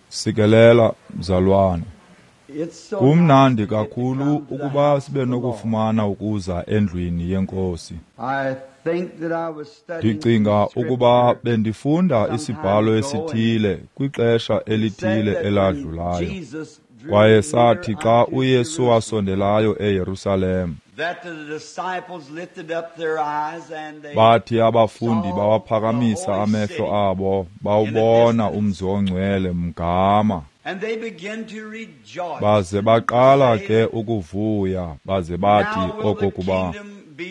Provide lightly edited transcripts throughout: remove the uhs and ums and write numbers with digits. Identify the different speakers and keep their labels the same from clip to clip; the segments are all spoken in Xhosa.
Speaker 1: Sikelela mzalwane. Kumnandi kakhulu ukuba sibe nokufumana ukuza endlwini yeNkosi. Ndicinga ukuba bendifunda isibhalo esithile kwixesha elithile eladlulayo. Kwaye sathi xa uYesu wasondelayo eYerusalem, bathi abafundi bawaphakamisa amehlo abo bawubona umzi ongcwele mgama. Baze baqala ke ukuvuya, baze bathi okokuba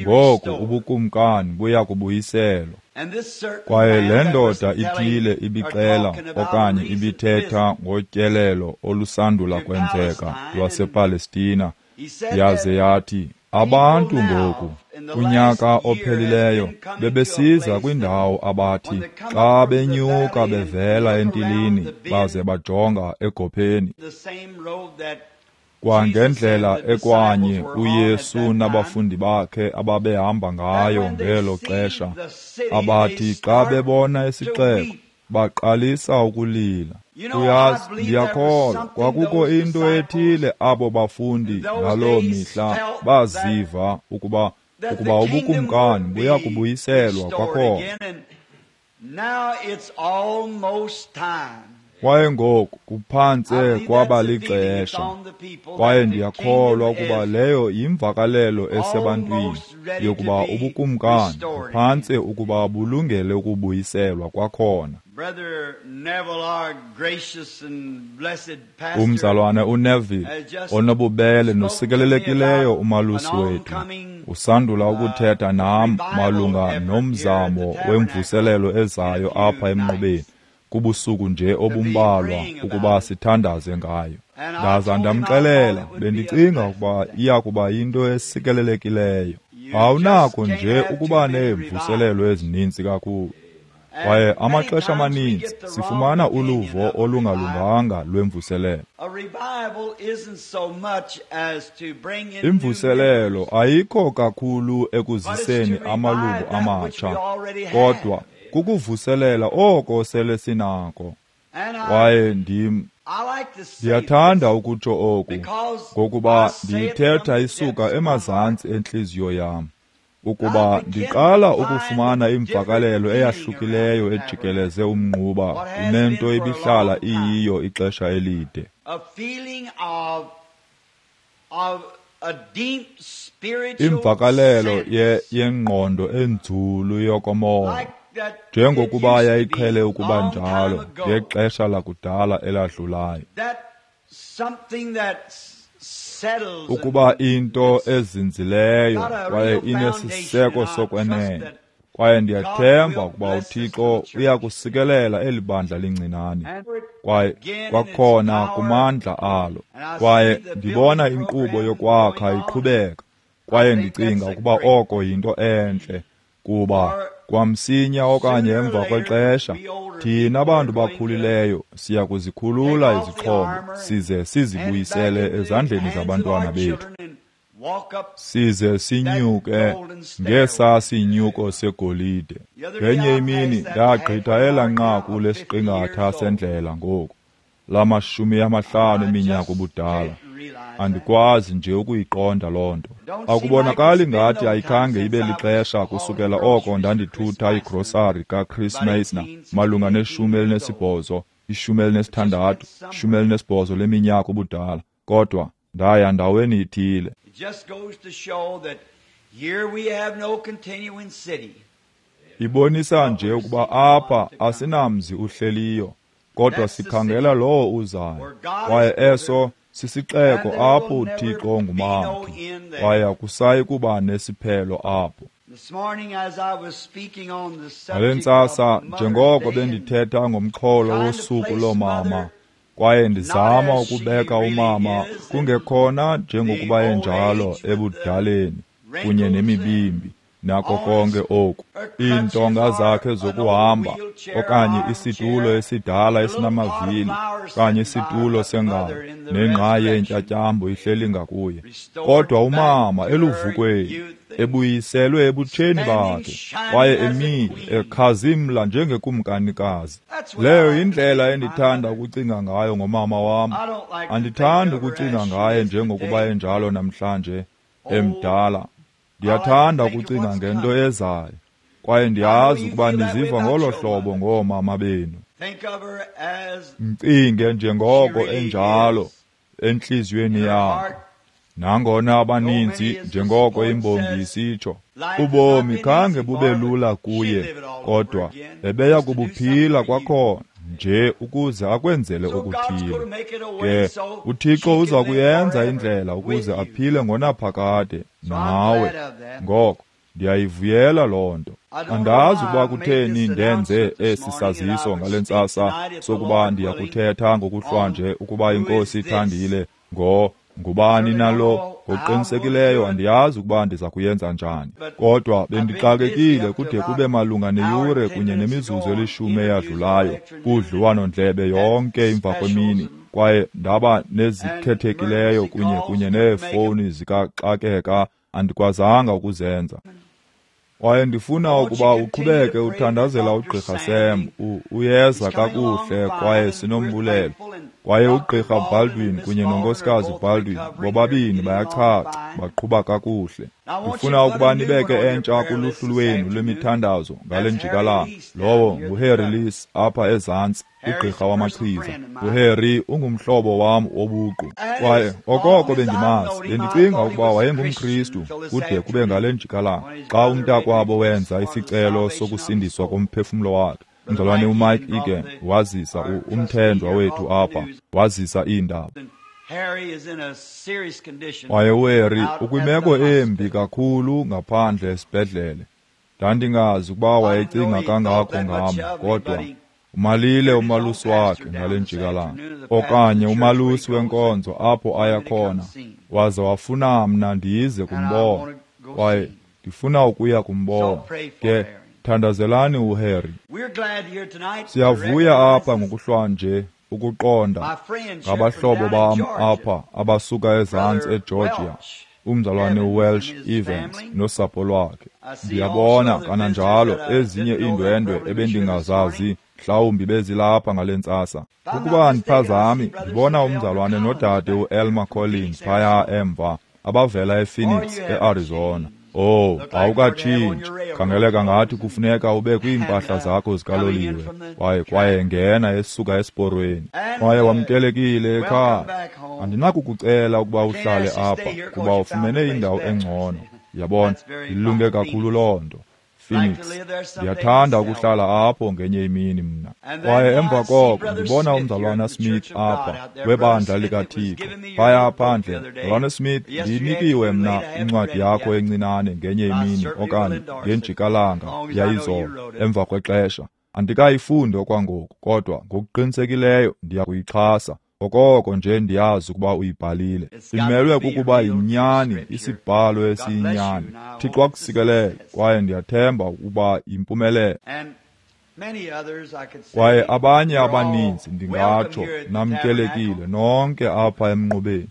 Speaker 1: ngoku ubukumkani buya kubuyiselwa. Kwaye le ndoda ithile ibixela okanye ibithetha ngotyelelo olusandula kwenzeka lwasePalestina, yaze yathi abantu ngoku kunyaka ophelileyo bebesiza kwindawo abathi xa benyuka bevela entilini baze bajonga egopheni, kwangendlela ekwanye uYesu nabafundi bakhe ababehamba ngayo ngelo xesha, abathi xa bebona isixeko baqalisa ukulila. Uyazi, ndiyakholwa kwakukho into ethile abo bafundi ngaloo mihla baziva ukuba ubukumkani buya kubuyiselwa kwakhona. Kwaye ngoku kuphantse kwaba lixesha, kwaye ndiyakholwa ukuba leyo yimvakalelo esebantwini yokuba ubukumkani buphantse ukuba bulungele ukubuyiselwa kwakhona. Umzalwane uNeville, onobubele nosikelelekileyo umalusi wethu, usandula ukuthetha nam malunga nomzamo wemvuselelo ezayo apha emnqubeni kubusuku nje obumbalwa ukuba sithandaze ngayo. Ndaza ndamxelela bendicinga ukuba iya kuba yinto esikelelekileyo. Awunako nje ukuba neemvuselelo ezininzi kakhulu. Kwaye amaxesha amaninzi sifumana uluvo olungalunganga lwemvuselelo. Imvuselelo ayikho kakhulu ekuziseni amalungu amatsha, kodwa kukuvuselela oko sele sinako. Kwaye ndiyathanda ukutsho oku, ngokuba ndiyithetha isuka emazantsi entliziyo yam, ukuba ndiqala ukufumana imvakalelo eyahlukileyo ejikeleze umnquba kunento ibihlala iyiyo ixesha elide. Imvakalelo yengqondo enzulu yokomoya, njengokuba yayiqhele ukuba njalo ngexesha lakudala eladlulayo. Ukuba into ezinzileyo kwaye inesiseko sokwenene, kwaye ndiyathemba ukuba uThixo uya kusikelela eli bandla lincinane kwaye kwakhona kumandla alo. Kwaye ndibona inkqubo yokwakha iqhubeka, kwaye ndicinga ukuba oko yinto entle, kuba kwamsinya okanye emva kwexesha thina bantu bakhulileyo siya kuzikhulula izixhobo size sizibuyisele ezandleni zabantwana bethu, size sinyuke ngesa sinyuko segolide. Ngenye imini ndagqitha elaa nqaku lesiqingatha sendlela ngoku lama-50 eminyaka ubudala. Andikwazi nje ukuyiqonda loo nto. Akubonakali ngathi ayikhange ibe lixesha kusukela oko ndandithutha igrosari kaChris Meisner malunga ne-18, 16, 18 leminyaka ubudala, kodwa ndaya ndaweni ithile. Ibonisa nje ukuba apha asinamzi uhleliyo, kodwa sikhangela lowo uzayo. Kwaye eso sisixeko apho uThixo ngumakhi, kwaye akusayi kuba nesiphelo apho. Ngale ntsasa, njengoko bendithetha ngomxholo wosuku loomama, kwaye ndizama ukubeka umama kungekhona njengokuba enjalo ebudaleni kunye nemibimbi nako konke oku, iintonga zakhe zokuhamba okanye isitulo esidala esinamavili okanye isitulo sengalo nengqayi yentyatyambo ihleli ngakuye, kodwa umama eluvukweni ebuyiselwe ebutsheni bakhe, kwaye emile ekhazimla njengekumkanikazi. Leyo yindlela endithanda ukucinga ngayo ngomama wam. Andithandi ukucinga ngaye njengokuba enjalo namhlanje, emdala. Ndiyathanda ukucinga ngento ezayo, kwaye ndiyazi ukuba niziva ngolo hlobo ngoomama benu. Mcinge njengoko enjalo entliziyweni yakho. Nangona abaninzi, njengoko imbongi isitsho, ubomi khange bube lula kuye, kodwa ebeya kubuphila kwakhona nje ukuze akwenzele okuthile. Ke uThixo uza kuyenza indlela ukuze aphile ngonaphakade nawe. Ngoko ndiyayivuyela loo nto. Andazi ukuba kutheni ndenze esi saziso ngale ntsasa sokuba ndiyakuthetha ngokuhlwanje ukuba iNkosi ithandile ngubani nalo. Ngokuqinisekileyo andiyazi ukuba ndiza kuyenza njani, kodwa bendixakekile kude kube malunga neyure kunye nemizuzu elishumi eyadlulayo kudliwano-ndlebe yonke emva kwemini, kwaye ndaba nezikhethekileyo kunye neefowuni zikaxakeka andikwazanga ukuzenza. Kwaye ndifuna ukuba uqhubeke uthandazela uGqirha Sam. Uyeza kakuhle kwaye sinombulelo. Kwaye uGqirha Baldwin kunye noNkosikazi Baldwin bobabini bayachacha, baqhuba kakuhle. Ndifuna ukuba nibeke entsha kuluhlu lwenu lwemithandazo ngale njikalanga. Lowo nguHarry Lees apha ezantsi, ugqirha wamachiza. UHarry ungumhlobo wam wobuqu, kwaye okoko bendimazi bendicinga ukuba wayenguMkristu kude kube ngale njikalanga xa umntakwabo wenza isicelo sokusindiswa komphefumlo wakhe. Umzalwane uMike Egan wazisa umthenjwa wethu apha, wazisa iindaba. Kwaye uHarry ukwimeko embi kakhulu ngaphandle esibhedlele. Ndandingazi ukuba wayecinga kangako ngam, kodwa umalile umalusi wakhe ngale njikalanga, okanye umalusi wenkonzo apho aya khona, waze wafuna mna ndize kumbona, kwaye ndifuna ukuya kumbona. Ke thandazelani uHarry. Siyavuya apha ngokuhlwanje ukuqonda ngabahlobo bam apha abasuka ezantsi eGeorgia, umzalwane uWelsh Evans nosapho lwakhe. Ndiyabona kananjalo ezinye iindwendwe ebendingazazi, mhlawumbi bezilapha ngale ntsasa. Ukuba andiphazami, ndibona umzalwane nodade uElmer Collins phaya emva, abavela ePhoenix, eArizona. Oh, awukatshintshi. Khangeleka ngathi kufuneka ube kwiimpahla zakho zikaloliwe. Kwaye ngena esuka esiporweni. Kwaye wamkelekile ekhaya. Andinakukucela ukuba uhlale apha kuba ufumene indawo engcono. Yabona, ilunge kakhulu loo nto. Phoenix, ndiyathanda ukuhlala apho ngenye imini mna. Kwaye emva koko ndibona umzalwana Smith apha webandla likaThixo phaya phandle. Mzalwana Smith, ndiyinikiwe mna incwadi yakho encinane ngenye imini okanye ngenjikalanga yayizolo emva kwexesha. Andikayifundi okwangoku, kodwa ngokuqinisekileyo ndiya kuyixhasa. Okoko nje ndiyazi ukuba uyibhalile. Imelwe kukuba yinyani, isibhalo esiyinyani. Thixo akusikelele, kwaye ndiyathemba ukuba yimpumelelo. Kwaye abanye abaninzi ndingatsho namkelekile nonke apha emnqubeni.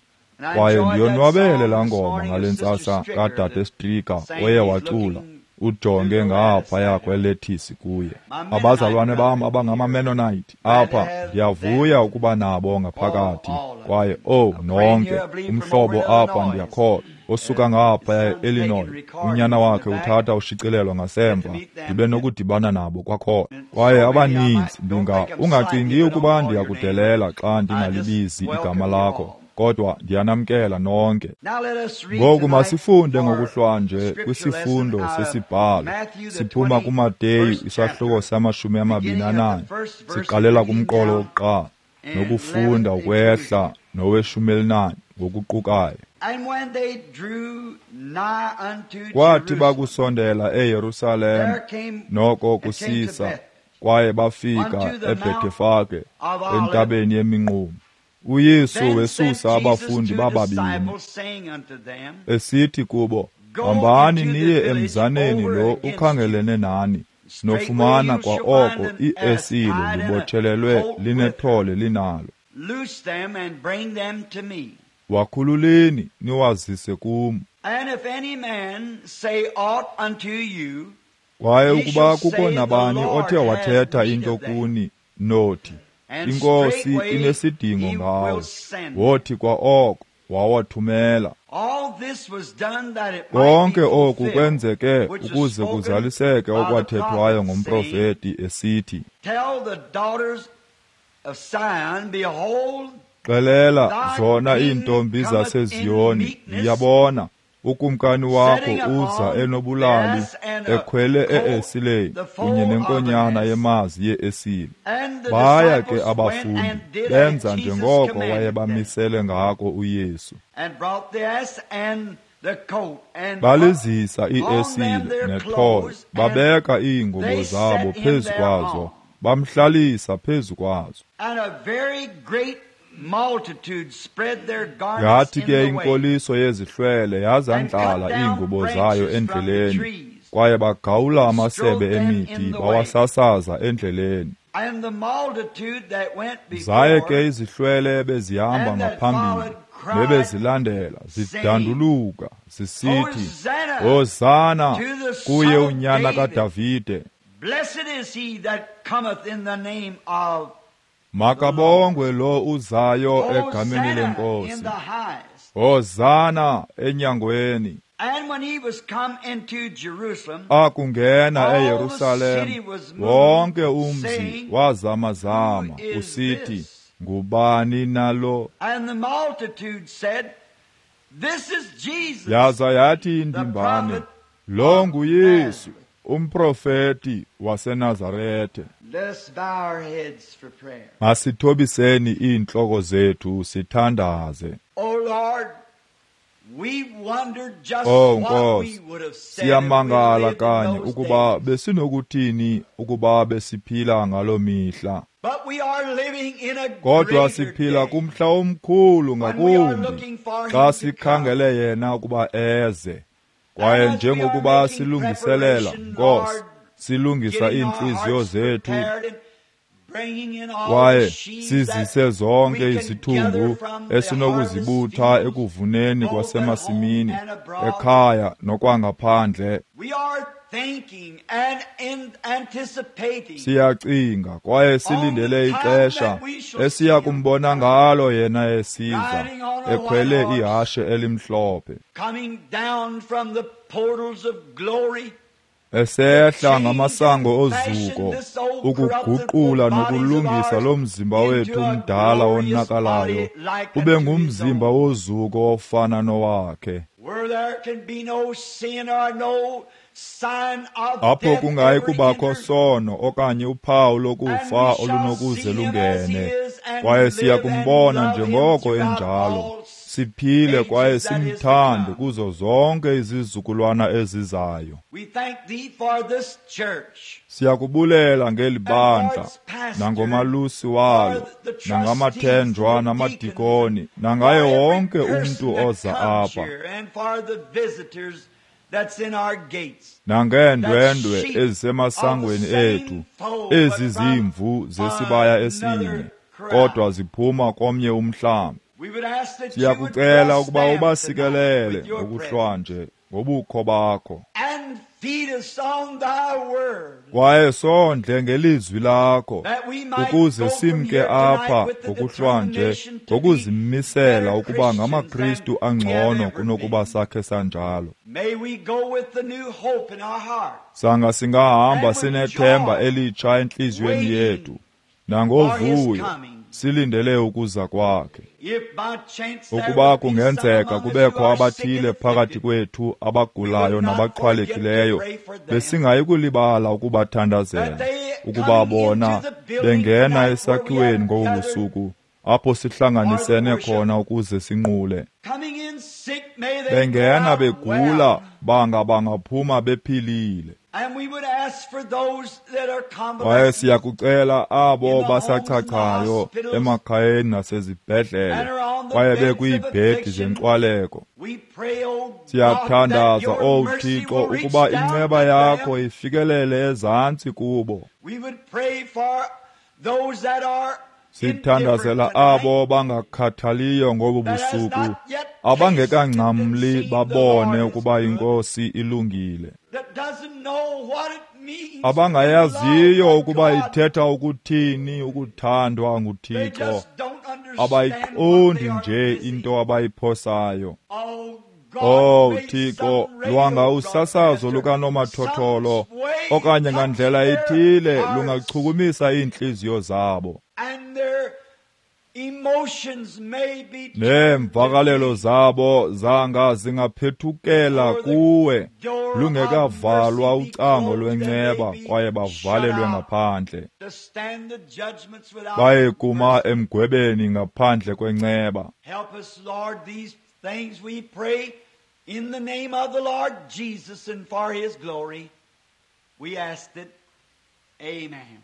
Speaker 1: Kwaye ndiyonwabele laa ngoma ngale ntsasa kadade Stricker oye wacula ujonge ngaphaya kwelethisi kuye. Abazalwane bam abangamaMennonite apha, ndiyavuya ukuba nabo ngaphakathi. Kwaye nonke umhlobo apha ndiyakholwa osuka ngaphaya e-Illinois, unyana wakhe uthatha ushicilelo ngasemva, ndibe nokudibana nabo kwakhona. Kwaye abaninzi ungacingi ukuba ndiyakudelela xa ndingalibizi igama lakho, kodwa ndiyanamkela nonke. Ngoku masifunde ngokuhlwanje kwisifundo sesibhalo. Siphuma kuMateyu isahluko sama-24, siqalela kumqolo wokuqala nokufunda ukwehla nowe-14 ngokuqukayo. Kwathi bakusondela eYerusalem noko kusisa, kwaye bafika eBhethefage entabeni yeminqumo. uYesu wesusa abafundi bababini, esithi kubo, hambani niye emzaneni lo ukhangelene nani, nofumana kwa oko iesile libotshelelwe linethole linalo. Wakhululeni niwazise kum. Kwaye ukuba kukho nabani othe wathetha into kuni, nothi, iNkosi inesidingo ngawo, wothi kwa oko wawathumela. Konke oku kwenzeke ukuze kuzaliseke okwathethwayo ngomprofeti esithi, xelela zona iintombi zaseZiyoni, yabona, ukumkani wakho uza enobulali, ekhwele e-esileni kunye nenkonyana yemazi ye-esile. Baya ke abafundi benza njengoko wayebamisele ngako uYesu. Balizisa i-esile nethole, babeka iingubo zabo phezu kwazo, bamhlalisa phezu kwazo. Yathi ke inkoliso yezihlwele yazandlala iingubo zayo endleleni, kwaye bagawula amasebe emithi bawasasaza endleleni. Zaye ke izihlwele bezihamba ngaphambili nebezilandela zidanduluka zisithi, Hosana kuye unyana kaDavide. Makabongwe lo uzayo egameni leNkosi. Hosana enyangweni. Akungena eYerusalem, wonke umzi wazamazama usithi, ngubani nalo? Yaza yathi indimbane, lo nguYesu, umprofeti waseNazarethe. Masithobiseni iintloko zethu sithandaze. Oh Nkosi, siyamangala kanye ukuba besinokuthini ukuba besiphila ngaloo mihla. Kodwa siphila kumhla omkhulu ngakumbi xa sikhangele yena ukuba eze. Kwaye njengokuba silungiselela, Nkosi, silungisa iintliziyo zethu kwaye sizise zonke izithungu esinokuzibutha ekuvuneni kwasemasimini, ekhaya nokwangaphandle. Siyacinga kwaye silindele ixesha esiya kumbona ngalo yena esiza, ekhwele ihashe elimhlophe, esehla ngamasango ozuko, ukuguqula nokulungisa lo mzimba wethu mdala wonakalayo ube ngumzimba wozuko ofana nowakhe, apho kungayi kubakho sono okanye uphawu lokufa olunokuze lungene. Kwaye siya kumbona njengoko enjalo, siphile kwaye simthande kuzo zonke izizukulwana ezizayo. Siyakubulela ngeli bandla, nangomalusi walo, nangamathenjwa namadikoni, nangaye wonke umntu oza apha, nangeendwendwe ezisemasangweni ethu, ezi zimvu zesibaya esinye, kodwa ziphuma komnye umhlambi. Siyakucela ukuba ubasikelele ngokuhlwanje ngobukho bakho, kwaye sondle ngelizwi lakho, ukuze simke apha ngokuhlwanje ngokuzimisela ukuba ngamaKristu angcono kunokuba sakhe sanjalo. Sanga singahamba sinethemba elitsha entliziyweni yethu nangovuyo, silindele ukuza kwakhe. Ukuba kungenzeka kubekho abathile phakathi kwethu abagulayo nabaxhwalekileyo, besingayi kulibala ukubathandazela, ukuba bona bengena esakhiweni ngobu busuku apho sihlanganisene khona ukuze sinqule. Bengena begula, banga bangaphuma bephilile. Kwaye siyakucela abo basachachayo emakhayeni nasezibhedlele, kwaye bekwiibhedi zenkxwaleko. Siyathandaza, O Thixo, ukuba inceba yakho ifikelele ezantsi kubo. Sithandazela abo bangakhathaliyo ngobu busuku, abangekangcamli babone ukuba iNkosi ilungile, abangayaziyo ukuba ithetha ukuthini ukuthandwa nguThixo, abayiqondi nje into abayiphosayo. Oh Thixo, lwanga usasazo lukanomathotholo okanye ngandlela ethile lungachukumisa iintliziyo zabo, neemvakalelo zabo zanga zingaphethukela kuwe lungekavalwa ucango lwenceba kwaye bavalelwe ngaphandle, baye kuma emgwebeni ngaphandle kwenceba.
Speaker 2: Things we pray in the name of the Lord Jesus and for His glory. We ask it. Amen.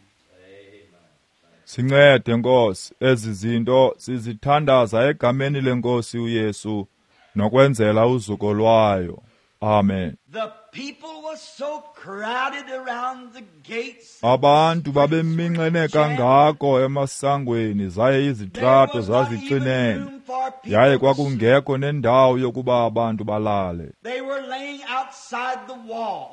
Speaker 1: Sincede Nkosi, ezi zinto sizithandaza egameni leNkosi uYesu nokwenzela uzuko lwayo. Amen.
Speaker 2: The people was so crowded around the gates.
Speaker 1: Abantu babeminxene kangako emasangweni zaye izitrato zazicinene, yaye kwakungekho nendawo yokuba abantu balale.
Speaker 2: They were laying outside the wall.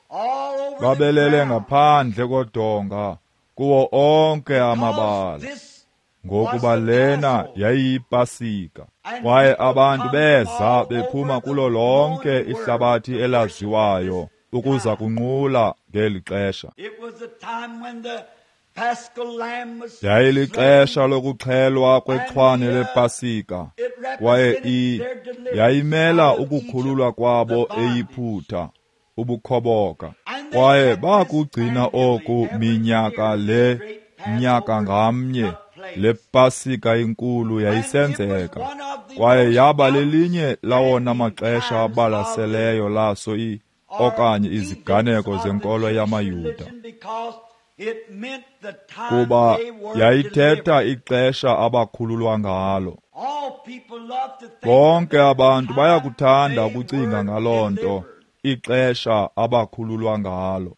Speaker 2: All over
Speaker 1: Babelele ngaphandle kodonga kuwo onke amabala, ngokuba lena yayiyipasika. Kwaye abantu beza bephuma kulo lonke ihlabathi elaziwayo ukuza kunqula ngeli xesha. Yayilixesha lokuxhelwa kwexhwane lepasika, kwaye yayimela ukukhululwa kwabo eYiputa, ubukhoboka. Kwaye bakugcina oku minyaka le, nyaka ngamnye. Le pasika inkulu yayisenzeka, kwaye yaba lelinye lawona maxesha abalaseleyo laso okanye iziganeko zenkolo yamaYuda, kuba yayithetha ixesha abakhululwa ngalo. Bonke abantu bayakuthanda ukucinga ngaloo nto, ixesha abakhululwa ngalo.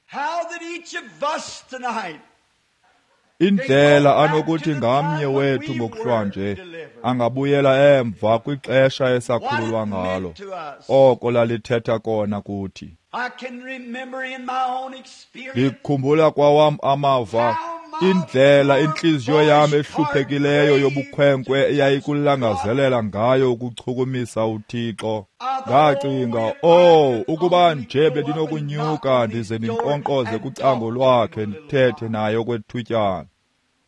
Speaker 1: Indlela anokuthi ngamnye wethu ngokuhlwanje angabuyela emva kwixesha esakhululwa ngalo, oko lalithetha kona kuthi. Ndikhumbula kwawam amava, indlela intliziyo yam ehluphekileyo yobukhwenkwe eyayikulangazelela ngayo ukuchukumisa uThixo. Ndacinga, oh, ukuba nje bendinokunyuka ndize ndinkqonkqoze kucango lwakhe ndithethe naye okwethutyana.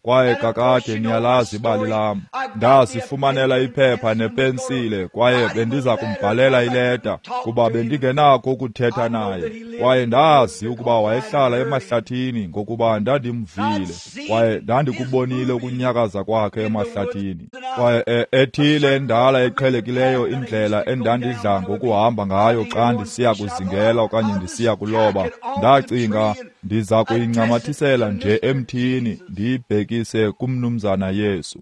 Speaker 1: Kwaye kakade niyalazi ibali lam. Ndazifumanela iphepha nepensile kwaye bendiza kumbhalela ileta kuba bendingenakho ukuthetha naye. Kwaye ndazi ukuba wayehlala emahlathini ngokuba ndandimvile kwaye ndandikubonile ukunyakaza kwakhe emahlathini. Kwaye ethile endala eqhelekileyo indlela endandidla ngokuhamba ngayo xa ndisiya kuzingela okanye ndisiya kuloba, ndacinga ndiza kuyincamathisela nje emthini ndiyibhekise kumnumzana Yesu.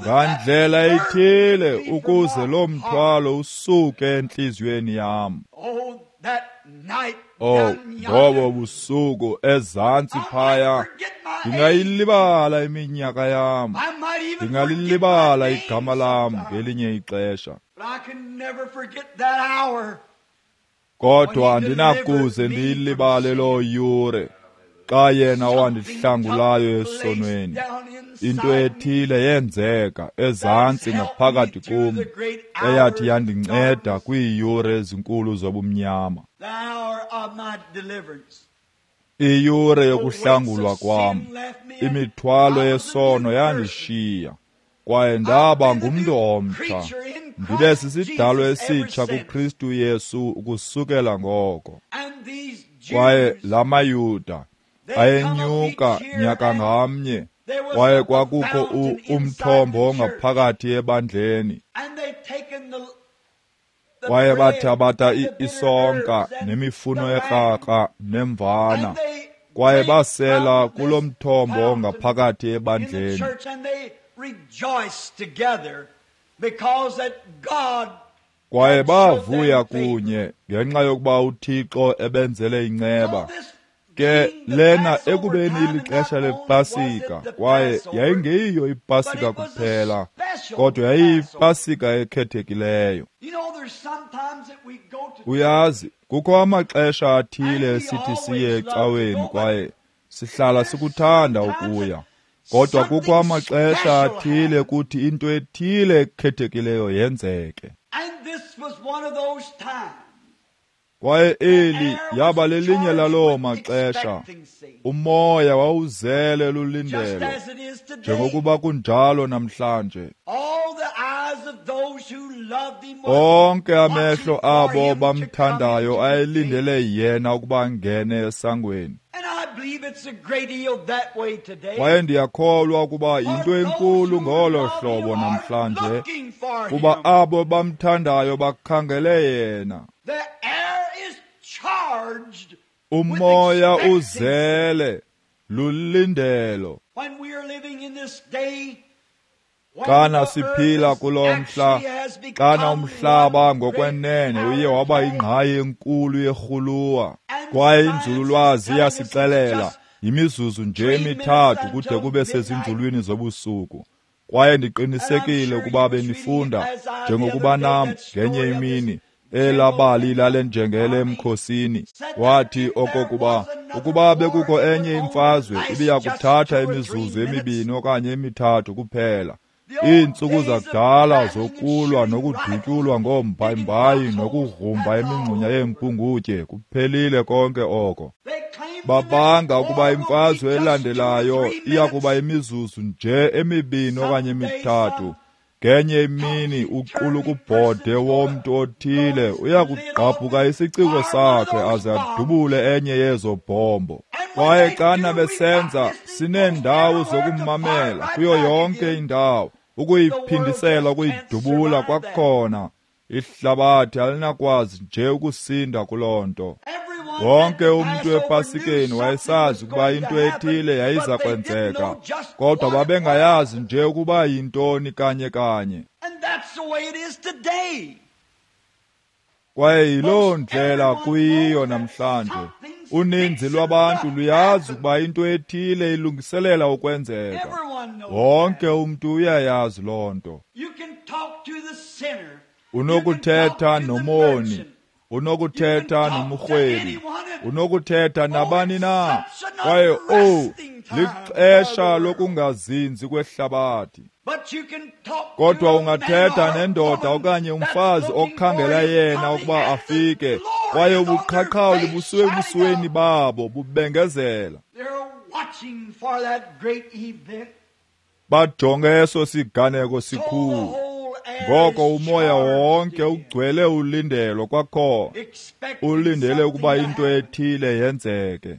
Speaker 1: Ngandlela ithile ukuze lo mthwalo usuke entliziyweni yam. Oh, ngobo busuku ezantsi phaya, ndingayilibala iminyaka yam, ndingalilibala igama lam ngelinye ixesha, kodwa andinakuze ndiyilibale loo yure xa yena wandihlangulayo esonweni. Into ethile yenzeka ezantsi ngaphakathi kum eyathi yandinceda kwiiyure ezinkulu zobumnyama, iyure yokuhlangulwa kwam. Imithwalo yesono yandishiya kwaye ndaba ngumntu omtsha, ndibe sisidalwa esitsha kuKristu Yesu ukusukela ngoko. Kwaye la maYuda ayenyuka nyaka ngamnye, kwaye kwakukho umthombo ongaphakathi ebandleni, kwaye bathabatha isonka nemifuno ekrakra nemvana, kwaye basela kulo mthombo ongaphakathi ebandleni. Kwaye bavuya kunye ngenxa yokuba uThixo ebenzele inceba. ke lena ekubeni ilixesha lePasika, kwaye yayingeyiyo iPasika kuphela, kodwa yayiyiPasika ekhethekileyo. Uyazi, kukho amaxesha athile esithi siye ecaweni kwaye sihlala sikuthanda ukuya. Kodwa kukho amaxesha athile kuthi into ethile ekhethekileyo yenzeke. Kwaye eli yaba lelinye laloo maxesha. Umoya wawuzele lulindelo, njengokuba kunjalo namhlanje. Onke amehlo abo bamthandayo ayelindele yena ukuba angene esangweni. Kwaye ndiyakholwa ukuba yinto enkulu ngolo hlobo namhlanje, kuba abo bamthandayo bakhangele yena. Umoya uzele lulindelo. Xana siphila kulo mhla, xana umhlaba ngokwenene uye waba yingqayi enkulu yerhuluwa, kwaye inzululwazi iyasixelela yimizuzu nje emithathu kude kube sezinzulwini zobusuku. Kwaye ndiqinisekile ukuba benifunda njengokuba nam ngenye imini elabali lale njengele emkhosini, wathi okokuba ukuba bekukho enye imfazwe ibiya kuthatha imizuzu emibini okanye emithathu kuphela. Iintsuku zakudala zokulwa nokudutyulwa ngoombhayimbayi nokugrumba imingxunya yeempungutye kuphelile konke oko. Babanga ukuba imfazwe elandelayo iya kuba imizuzu nje emibini okanye emithathu. Ngenye imini uqulukubhode womntu othile uya kugqabhuka isiciko sakhe aze adubule enye yezo bhombo. Kwaye xana besenza, sineendawo zokumamela kuyo yonke indawo, ukuyiphindisela ukuyidubula kwakhona. Ihlabathi alinakwazi nje ukusinda kuloo nto. Wonke umntu ePasikeni wayesazi ukuba into ethile yayiza kwenzeka, kodwa babengayazi nje ukuba yintoni kanye kanye. Kwaye yiloo ndlela kuyiyo namhlanje. Uninzi lwabantu luyazi ukuba into ethile ilungiselela ukwenzeka. Wonke umntu uyayazi loo nto. Unokuthetha nomoni, unokuthetha nomrhwebi, unokuthetha nabani na. Kwaye lixesha lokungazinzi kwehlabathi. Kodwa ungathetha nendoda okanye umfazi okhangela yena ukuba afike, kwaye ubuqhaqhawuli busuke ebusweni babo bubengezela. Bajonge eso siganeko sikhulu. Ngoko umoya wonke ugcwele ulindelo kwakhona, ulindele ukuba into ethile yenzeke.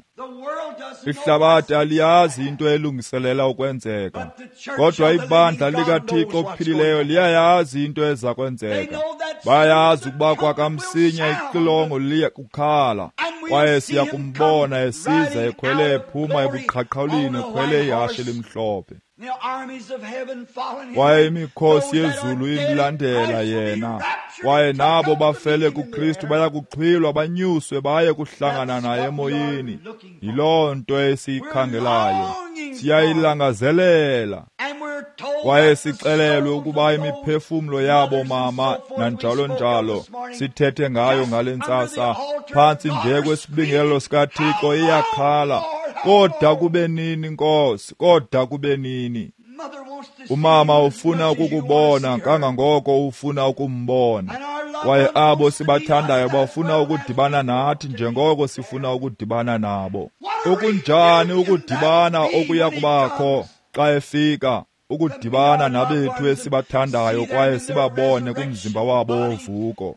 Speaker 1: Ihlabathi aliyazi into elungiselela ukwenzeka, kodwa ibandla likaThixo ophilileyo liyayazi into eza kwenzeka. Bayazi ukuba kwakamsinya ixilongo liya kukhala, kwaye siya kumbona esiza ekhwele ephuma ebuqhaqhawulini ekhwele ihashe elimhlophe. Kwaye imikhosi yezulu imlandela yena, kwaye nabo bafele kuKristu baya kuxhwilwa banyuswe baye kuhlangana naye emoyeni. Yiloo nto esiyikhangelayo, siyayilangazelela. Kwaye sixelelwe ukuba imiphefumlo yabo mama nanjalo njalo sithethe ngayo ngale ntsasa, phantsi nje kwesibingelelo sikaThixo iyakhala, koda kube nini Nkosi, koda kube nini. Umama ufuna ukukubona kangangoko ufuna ukumbona, kwaye abo sibathandayo bafuna ukudibana nathi njengoko sifuna ukudibana nabo. Okunjani ukudibana okuya kubakho xa efika, ukudibana nabethu esibathandayo kwaye sibabone kumzimba wabo wovuko.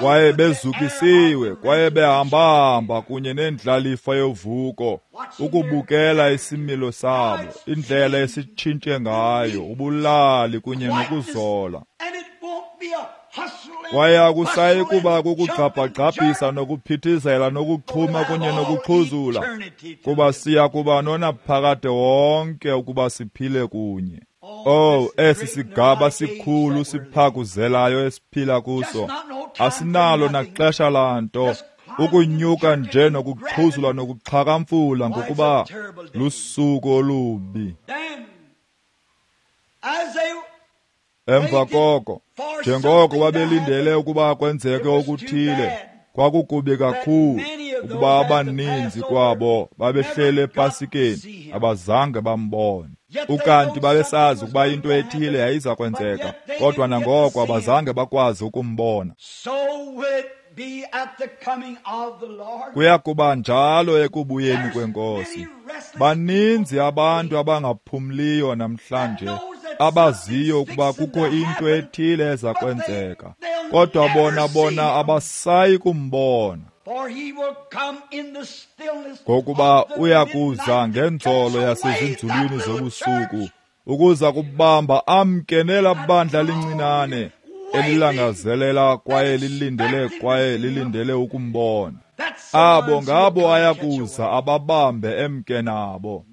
Speaker 1: Kwaye bezukisiwe, kwaye behambahamba kunye nendlalifa yovuko, ukubukela isimilo sabo, indlela esitshintshe ngayo, ubulali kunye nokuzola. Kwaye akusayi kuba kukugqabhagqabhisa nokuphithizela nokuxhuma kunye nokuxhuzula, kuba siya kuba nonaphakade wonke ukuba siphile kunye. Oh, esi sigaba sikhulu siphakuzelayo esiphila kuso, asinalo naxesha lanto. Ukunyuka nje nokuxhuzula nokuxhakamfula, ngokuba lusuku olubi. Emva koko, njengoko babelindele ukuba kwenzeke okuthile, kwakukubi kakhulu ukuba abaninzi kwabo babehlele ePasikeni abazange bambone. Ukanti babesazi ukuba into ethile yayiza kwenzeka, kodwa nangoko abazange bakwazi ukumbona. Kuya kuba njalo ekubuyeni kweNkosi. Baninzi abantu abangaphumliyo namhlanje, abaziyo ukuba kukho into ethile eza kwenzeka, kodwa bona abasayi kumbona. Ngokuba uya kuza ngenzolo yasezinzulwini zobusuku, ukuza kubamba amke nela bandla lincinane elilangazelela kwaye lilindele ukumbona. Abo ngabo ayakuza ababambe emke nabo.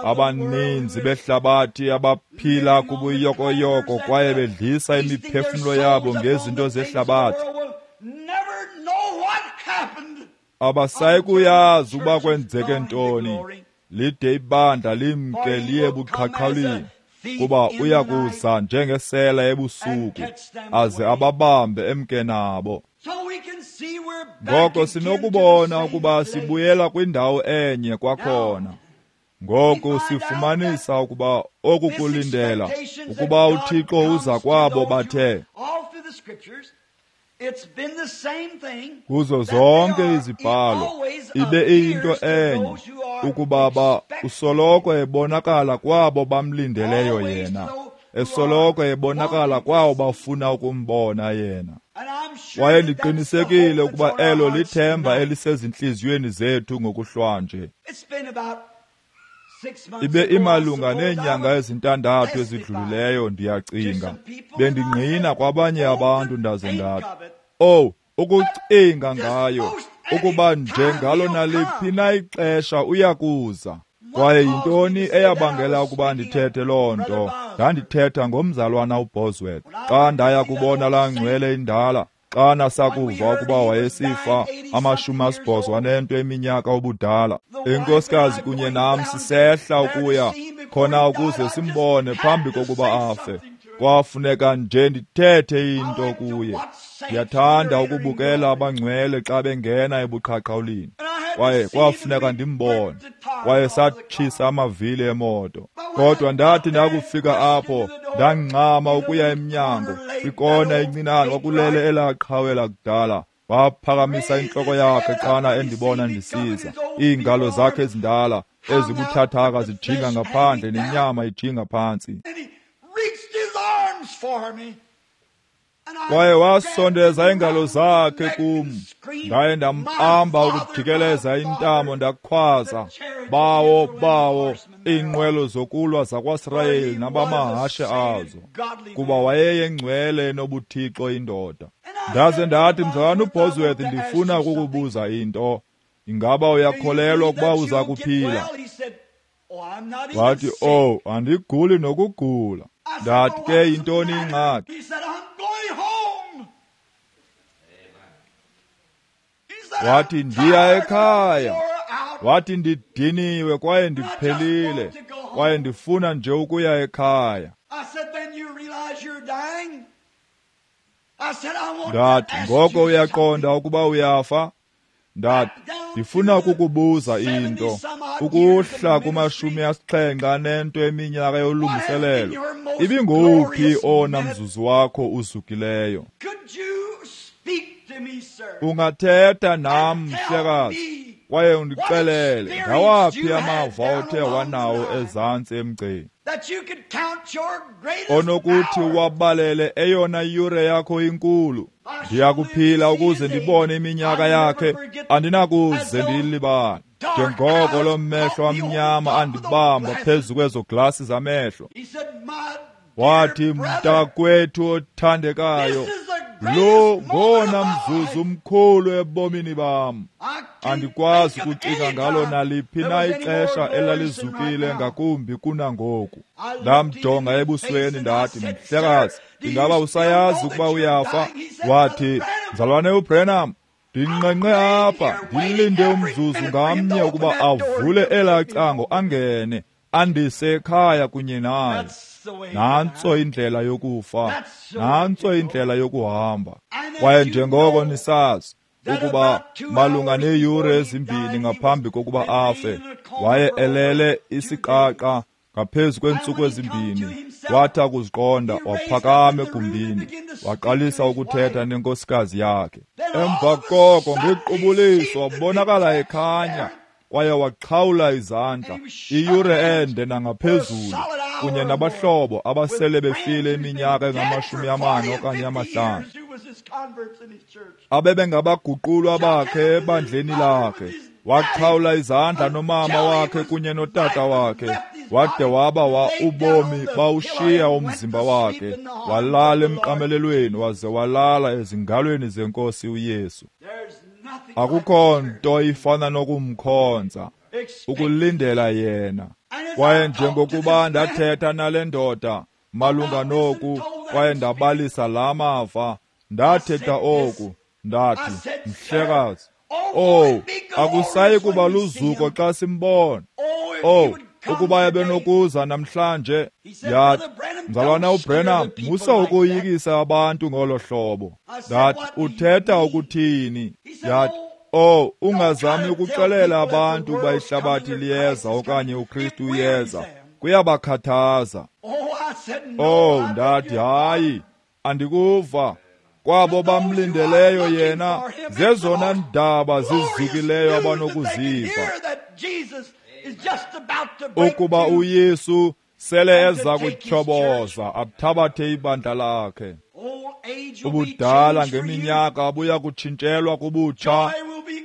Speaker 1: Abaninzi behlabathi abaphila kubuyokoyoko kwaye bedlisa imiphefumlo yabo ngezinto zehlabathi, abasayi kuyazi ukuba kwenzeke ntoni lide ibandla limke liye buqhaqhawulini, kuba uya kuza njengesela ebusuku aze ababambe emke nabo. Ngoko sinokubona ukuba sibuyela kwindawo enye kwakhona. Ngoku sifumanisa ukuba oku kulindela ukuba uThixo uza kwabo bathe kuzo zonke izibhalo ibe iyinto enye, ukuba usoloko ebonakala kwabo bamlindeleyo yena, esoloko ebonakala kwabo bafuna ukumbona yena. Kwaye ndiqinisekile ukuba elo lithemba elisezintliziyweni zethu ngokuhlwanje. Ibe imalunga neenyanga ezintandathu ezidlulileyo, ndiyacinga, bendingqina kwabanye abantu ndaze ndathi, "Oh, ukucinga ngayo, ukuba njengalo naliphi na ixesha uyakuza." Kwaye yintoni eyabangela ukuba ndithethe loo nto? Ndandithetha ngomzalwana uBosworth. Xa ndaya kubona laa ngcwele indala, xa nasakuva ukuba wayesifa 88 eminyaka ubudala, inkosikazi kunye nam sisehla ukuya khona ukuze simbone phambi kokuba afe. Kwafuneka nje ndithethe into kuye. Ndiyathanda ukubukela abangcwele xa bengena ebuqhaqhawulini, kwaye kwafuneka ndimbone. Kwaye satshisa amavili emoto, kodwa ndathi ndakufika apho ndangxama ukuya emnyango. Kwikona encinane kwakulele elaa qhawe lakudala. Waphakamisa intloko yakhe xana endibona ndisiza, iingalo zakhe ezindala ezibuthathaka zijinga ngaphandle nenyama ijinga phantsi. Kwaye wasondeza iingalo zakhe kum, ndaye ndambamba ukujikeleza intamo, ndakhwaza, "Bawo, bawo, iinqwelo zokulwa zakwaSirayeli nabamahashe azo," kuba wayeyengcwele enobuthixo indoda. Ndaze ndathi, "Mzalwana uBosworth, ndifuna ukukubuza into. Ingaba uyakholelwa ukuba uza kuphila?" Wathi, "Oh, andiguli nokugula." Ndathi, "Ke yintoni ingxaki?" Wathi, "Ndiya ekhaya." Wathi, "Ndidiniwe kwaye ndiphelile, kwaye ndifuna nje ukuya ekhaya." Ndathi, "Ngoko uyaqonda ukuba uyafa?" Ndathi, "Ndifuna ukukubuza into. Ukuhla kuma-78 eminyaka yolungiselelo, ibingowuphi owona mzuzu wakho uzukileyo? Ungathetha nam, mhlekazi, kwaye undixelele ngawaphi amava othe wanawo ezantsi emgceni onokuthi wabalele eyona yure yakho inkulu. Ndiyakuphila ukuze ndibone iminyaka yakhe, andinakuze ndiyilibale. Njengoko loo mehlo amnyama andibamba phezu kwezo glasi zamehlo." Wathi, "Mntakwethu othandekayo, lo ngowona mzuzu mkhulu ebomini bam. Andikwazi ukucinga ngalo naliphi na ixesha elalizukile ngakumbi kunangoku." Ndamjonga ebusweni ndathi, "Mhlekazi, ingaba usayazi ukuba uyafa?" Wathi, "Mzalwane uBrenham, Ndinqenqe apha, ndilinde umzuzu ngamnye ukuba avule elaa cango angene, andise ekhaya kunye naye. Nantso indlela yokufa, nantso indlela yokuhamba. Kwaye njengoko nisazi ukuba malunga neeyure ezimbini ngaphambi kokuba afe, waye elele isiqaqa ngaphezu kweentsuku ezimbini. Wathi akuziqonda, waphakama egumbini, waqalisa ukuthetha nenkosikazi yakhe. Emva koko ngequbuliso wabonakala ekhanya, kwaye waxhawula izandla iyure ende nangaphezulu, kunye nabahlobo abasele befile iminyaka engama-40 okanye 50, abebengabaguqulwa bakhe ebandleni lakhe. Waxhawula izandla nomama wakhe kunye notata wakhe, wade waba ubomi bawushiya umzimba wakhe, walala emqamelelweni, waze walala ezingalweni zenkosi uYesu. Akukho nto ifana nokumkhonza, ukulindela yena. Kwaye njengokuba ndathetha nale ndoda malunga noku, kwaye ndabalisa la mava, ndathetha oku, ndathi, mhlekazi, oh, akusayi kuba luzuko xa simbona. Oh, ukuba ebenokuza namhlanje. Yathi, mzalwana uBrenham, musa ukoyikisa abantu ngolo hlobo. Ndathi, uthetha ukuthini? Yathi, oh, ungazami ukuxelela abantu ukuba ihlabathi liyeza okanye uKristu uyeza. Kuyabakhathaza. Oh, ndathi, hayi, andikuva. Kwabo bamlindeleyo yena, zezona ndaba zizukileyo abanokuziva, ukuba uYesu sele eza kutyhoboza athabathe ibandla lakhe. Ubudala ngeminyaka buya kutshintshelwa kubutsha,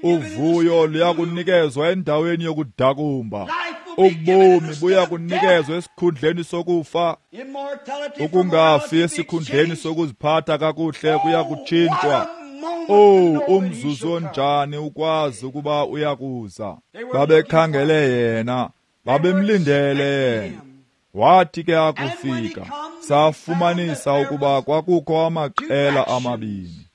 Speaker 1: uvuyo luya kunikezwa endaweni yokudakumba, ubomi buya kunikezwa esikhundleni sokufa, ukungafi esikhundleni sokuziphatha kakuhle kuya kutshintshwa. Oh, umzuzu onjani ukwazi ukuba uyakuza. Babekhangele yena, babemlindele yena. Wathi ke akufika, safumanisa ukuba kwakukho amaqela amabini.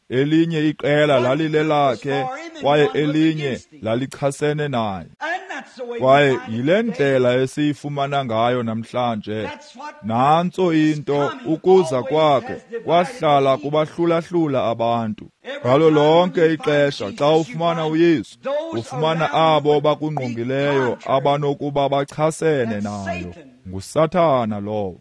Speaker 1: Elinye iqela lalilelakhe, kwaye elinye lalichasene naye. Kwaye yile ndlela esiyifumana ngayo namhlanje. Nantso into, ukuza kwakhe kwahlala kubahlulahlula abantu. Ngalo lonke ixesha xa ufumana uYesu, ufumana abo bakungqongileyo abanokuba bachasene nayo. NguSathana lowo.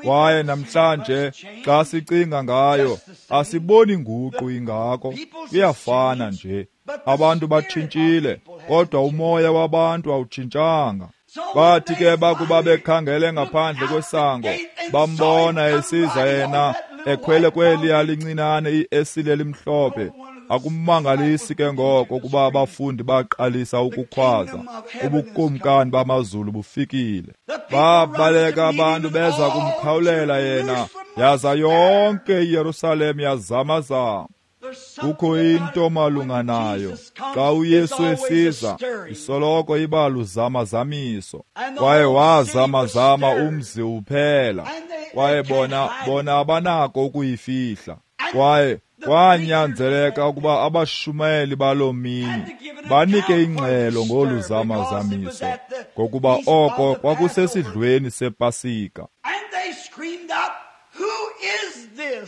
Speaker 1: Kwaye namhlanje xa sicinga ngayo, asiboni nguqu ingako, kuyafana nje. Abantu batshintshile, kodwa umoya wabantu awutshintshanga. Bathi ke bakuba bekhangele ngaphandle kwesango, bambona esiza yena ekhwele kweliya lincinane iesile elimhlophe. Akumangalisi ke ngoko ukuba abafundi baqalisa ukukhwaza, ubukumkani bamazulu bufikile. Babaleka abantu beza kumkhawulela yena, yaza yonke iYerusalem yazamazama. Kukho into malunga nayo, xa uYesu esiza, isoloko iba luzamazamiso. Kwaye wazamazama umzi uphela, kwaye bona abanako ukuyifihla. Kwaye kwanyanzeleka ukuba abashumayeli baloo mini banike ingxelo ngolu zamazamiso, ngokuba oko kwakusesidlweni sePasika.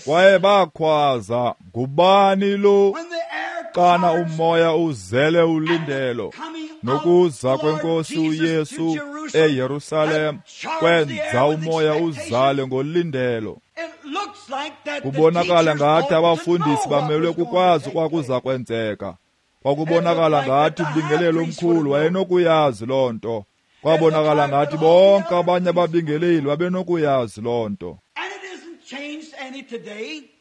Speaker 1: Kwaye bakhwaza, ngubani lo? Xana umoya uzele ulindelo nokuza kwenkosi uYesu eYerusalem kwenza umoya uzale ngolindelo. Kubonakala ngathi abafundisi bamelwe kukwazi kwakuza kwenzeka. Kwakubonakala ngathi umbingeleli omkhulu wayenokuyazi loo nto. Kwabonakala ngathi bonke abanye ababingeleli babenokuyazi loo nto.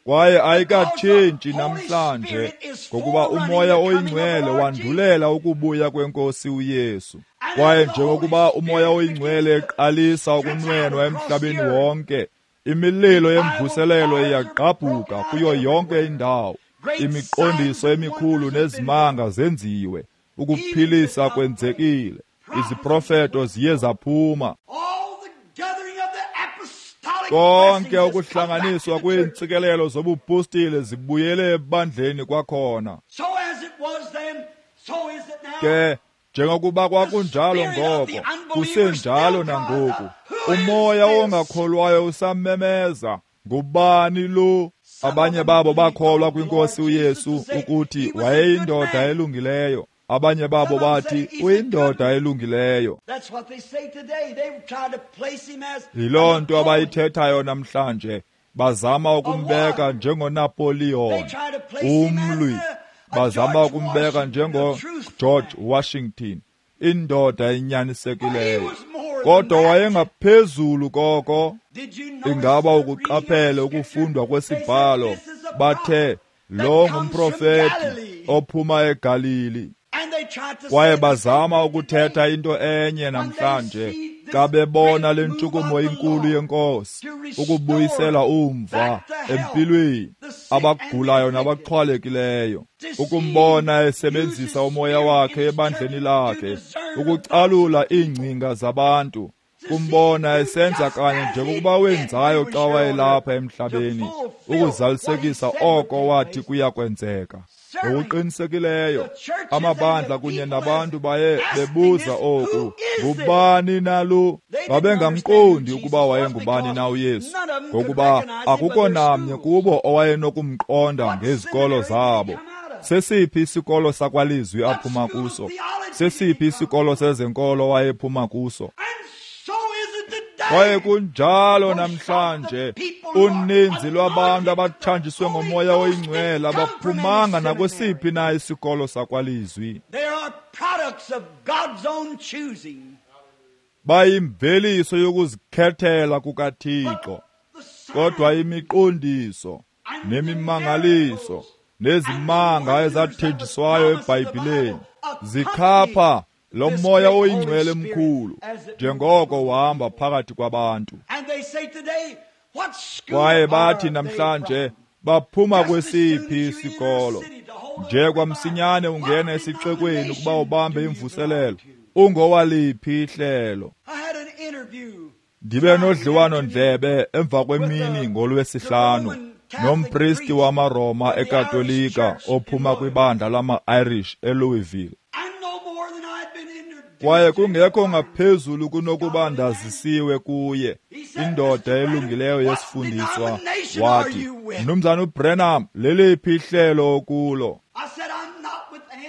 Speaker 1: Kwaye ayikatshintshi namhlanje, ngokuba umoya oyingcwele wandulela ukubuya kwenkosi uYesu. Kwaye njengokuba umoya oyingcwele eqalisa ukunwenwa emhlabeni wonke, imililo yemvuselelo iyagqabhuka kuyo yonke indawo. Imiqondiso emikhulu nezimanga zenziwe, ukuphilisa kwenzekile, iziprofeto ziye zaphuma. Konke ukuhlanganiswa kweentsikelelo zobupostile zibuyele ebandleni kwakhona. Ke njengokuba kwakunjalo ngoko, kusenjalo nangoku. Umoya ongakholwayo usamemeza, ngubani lo? Abanye babo bakholwa kwinkosi uYesu ukuthi wayeyindoda elungileyo. Abanye babo bathi uyindoda elungileyo. Yiloo nto abayithethayo namhlanje. Bazama ukumbeka njengoNapoleon, umlwi. Bazama ukumbeka njengoGeorge Washington, indoda enyanisekileyo. Kodwa wayengaphezulu koko. Ingaba ukuqaphele ukufundwa kwesibhalo? Bathe lo ngumprofeti ophuma eGalili. Kwaye bazama ukuthetha into enye namhlanje xa bebona le ntshukumo inkulu yenkosi ukubuyisela umva empilweni abagulayo nabaxhwalekileyo, ukumbona esebenzisa umoya wakhe ebandleni lakhe ukucalula iingcinga zabantu, kumbona esenza kanye njengokuba wenzayo xa wayelapha emhlabeni ukuzalisekisa oko wathi kuya kwenzeka. Ngokuqinisekileyo amabandla kunye nabantu baye bebuza oku, ngubani na lo? Babengamqondi ukuba wayengubani na uYesu, ngokuba akukho namnye kubo owayenokumqonda ngezikolo zabo. Sesiphi isikolo sakwalizwi aphuma kuso? Sesiphi isikolo sezenkolo wayephuma kuso? Kwaye kunjalo namhlanje, uninzi lwabantu abathanjiswe ngomoya oyingcwele abaphumanga nakwesiphi na isikolo sakwalizwi. Bayimveliso yokuzikhethela kukaThixo. Kodwa imiqondiso nemimangaliso nezimanga ezathenjiswayo eBhayibhileni zikhapha lo moya oyingcwele mkhulu njengoko uhamba phakathi kwabantu. Kwaye bathi namhlanje baphuma kwesiphi isikolo? Nje kwamsinyane ungena esixekweni ukuba ubambe imvuselelo, ungowaliphi ihlelo? Ndibe nodliwano-ndlebe emva kwemini ngolwesihlanu nompristi wamaRoma eKatolika ophuma kwibandla lama-Irish eLouisville. Kwaye kungekho ngaphezulu kunokuba ndazisiwe kuye, indoda elungileyo yesifundiswa, wathi, Mnumzana uBrenham, leliphi ihlelo kulo?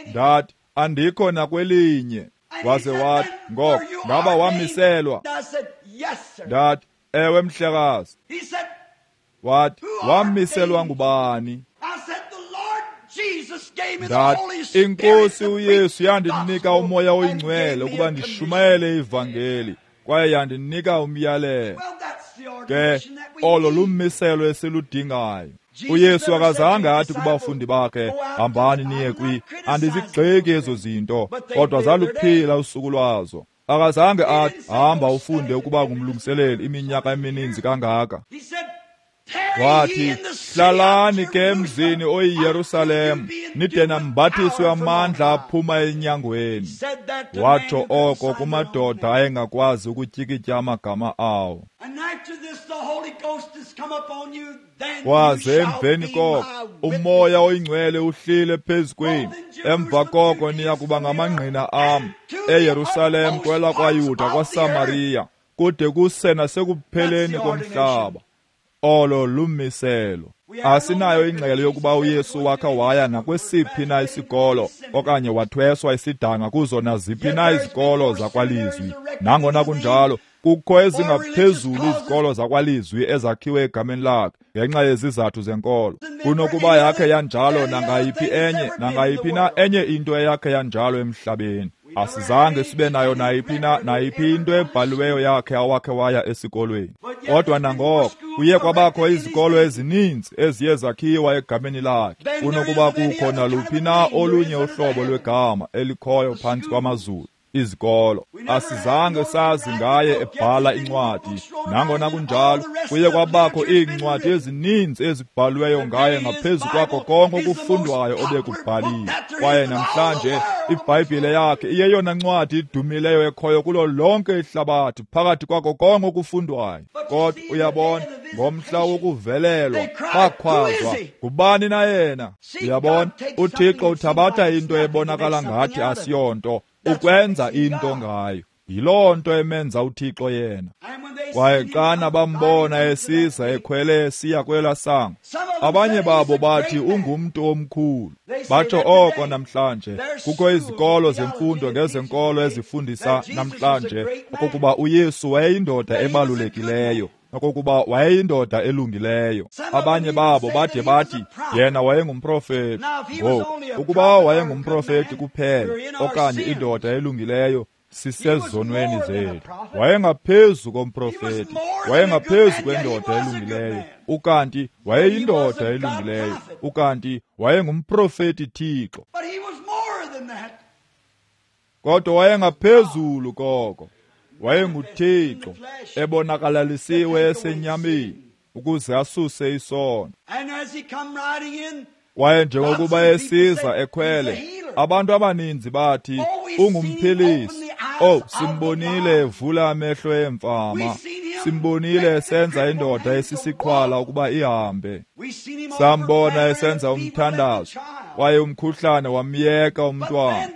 Speaker 1: Ndathi, andikho nakwelinye. Waze wathi, ngoko ngaba wamiselwa? Ndathi, ewe mhlekazi. Wathi, wamiselwa ngubani? Ndathi, inkosi uYesu yandinika umoya oyingcwele ukuba ndishumayele ivangeli, kwaye yandinika umyalelo. Ke olo lummiselo esiludingayo. uYesu akazange athi kubafundi bakhe, hambani niye kwi. Andizigxeki ezo zinto, kodwa zaluphila usuku lwazo. Akazange athi, hamba ufunde ukuba ngumlungiseleli iminyaka emininzi kangaka. Wathi, hlalani ke emzini oyiYerusalem, nide nambathiswe amandla aphuma enyangweni. Watsho oko kumadoda ayengakwazi ukutyikitya amagama awo. Kwaze emveni koko umoya oyingcwele uhlile phezu kwenu, emva koko niya kuba ngamangqina am eYerusalem, kwelakwaYuda, kwaSamariya, kude kuse nasekupheleni komhlaba. Olo lumiselo. Asinayo ingxelo yokuba uYesu wakha waya nakwesiphi na isikolo okanye wathweswa isidanga kuzo naziphi na izikolo zakwalizwi. Nangona kunjalo, kukho ezingaphezulu izikolo zakwalizwi ezakhiwe egameni lakhe ngenxa yezizathu zenkolo kunokuba yakhe yanjalo nangayiphi enye nangayiphi na enye into eyakhe yanjalo emhlabeni. Asizange sibe nayo nayiphi na nayiphi into ebhaliweyo yakhe awakhe waya esikolweni. Kodwa nangoko kuye kwabakho izikolo ezininzi eziye zakhiwa egameni lakhe kunokuba kukho naluphi na olunye uhlobo lwegama elikhoyo phantsi kwamazulu. izikolo. Asizange sazi ngaye ebhala incwadi. Nangona kunjalo, kuye kwabakho iincwadi ezininzi ezibhalweyo ngaye ngaphezu kwakho konke okufundwayo obekubhaliwe. Kwaye namhlanje iBhayibhile yakhe iyeyona ncwadi idumileyo ekhoyo kulo lonke ihlabathi phakathi kwakho konke okufundwayo. Kodwa uyabona, ngomhla wokuvelelwa bakhwazwa, ngubani na yena? Uyabona, uThixo uthabatha into ebonakala ngathi asiyonto ukwenza into ngayo. Yiloo nto emenza uThixo yena. Kwaye xana bambona esiza ekhwele esiya kwela sango, abanye babo bathi ungumntu omkhulu. Batsho oko namhlanje. Kukho izikolo zemfundo ngezenkolo ezifundisa namhlanje okokuba uYesu wayeyindoda ebalulekileyo, okokuba wayeyindoda elungileyo. Abanye babo bade bathi yena wayengumprofeti. Ngoku, ukuba wayengumprofeti kuphela okanye indoda elungileyo, sisezonweni zethu. Wayengaphezu komprofeti, wayengaphezu kwendoda elungileyo, ukanti wayeyindoda elungileyo, ukanti wayengumprofeti Thixo. Kodwa wayengaphezulu koko. WayenguThixo ebonakalalisiwe esenyameni ukuze asuse isono. Kwaye njengokuba esiza ekhwele, abantu abaninzi bathi ungumphilisi. Oh, simbonile evula amehlo emfama, simbonile esenza indoda esisiqhwala ukuba ihambe, sambona esenza umthandazo, kwaye umkhuhlane wamyeka umntwana.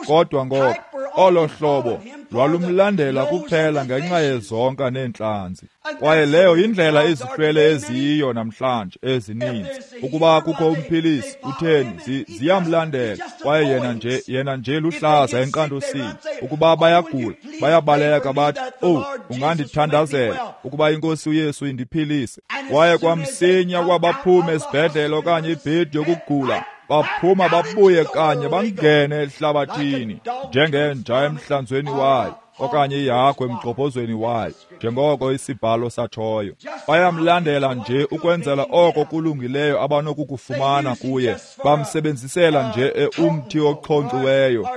Speaker 1: Kodwa ngoko olo hlobo lwalumlandela kuphela ngenxa yezonka neentlanzi. Kwaye leyo yindlela izihlwele eziyiyo namhlanje ezininzi. Ukuba kukho umphilisi, utheni, ziyamlandela, kwaye yena nje luhlaza enkqantosini. Ukuba bayagula, bayabaleka bathi, "Oh, ungandithandazela ukuba iNkosi uYesu indiphilise." Kwaye kwamsinya kwabaphuma esibhedlele okanye ibhedi yokugula, baphuma babuye kanye bangene ehlabathini njengenja emhlanzweni wayo okanye ihagu emgxobhozweni wayo, njengoko isibhalo satshoyo. Bayamlandela nje ukwenzela oko kulungileyo abanokukufumana kuye. Bamsebenzisela nje umthi ochonkciweyo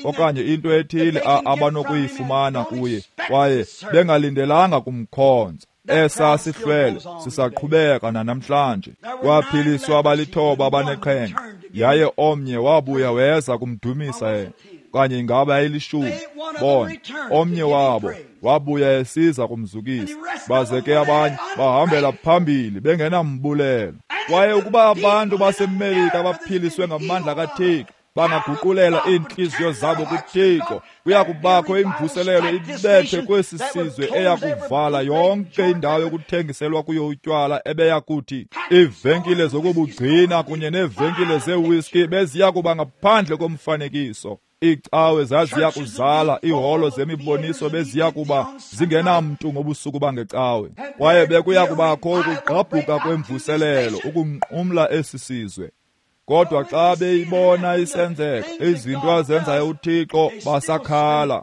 Speaker 1: okanye into ethile abanokuyifumana kuye, kwaye bengalindelanga kumkhonza. Esa sihlwele sisaqhubeka nanamhlanje. Kwaphiliswa abalithoba abaneqhenqa, yaye omnye wabuya weza kumdumisa yena. Okanye ingaba yayilishumi? Bona, omnye wabo wabuya esiza kumzukisa, baze ke abanye bahambela phambili bengenambulelo. Kwaye ukuba abantu baseMelika baphiliswe ngamandla kaThixo, bangaguqulela iintliziyo zabo kuThixo, kuya kubakho imvuselelo ibethe kwesi sizwe eya kuvala yonke indawo yokuthengiselwa kuyo utywala ebeya kuthi iivenkile zokubugcina kunye neevenkile zeewhiskey beziya kuba ngaphandle komfanekiso. Iicawe zaziya kuzala, iiholo zemiboniso beziya kuba zingenamntu ngobusuku bangecawe. Kwaye bekuya kubakho ukugqabhuka kwemvuselelo ukunqumla esi sizwe. Kodwa xa beyibona isenzeka, izinto azenzayo uThixo, basakhala.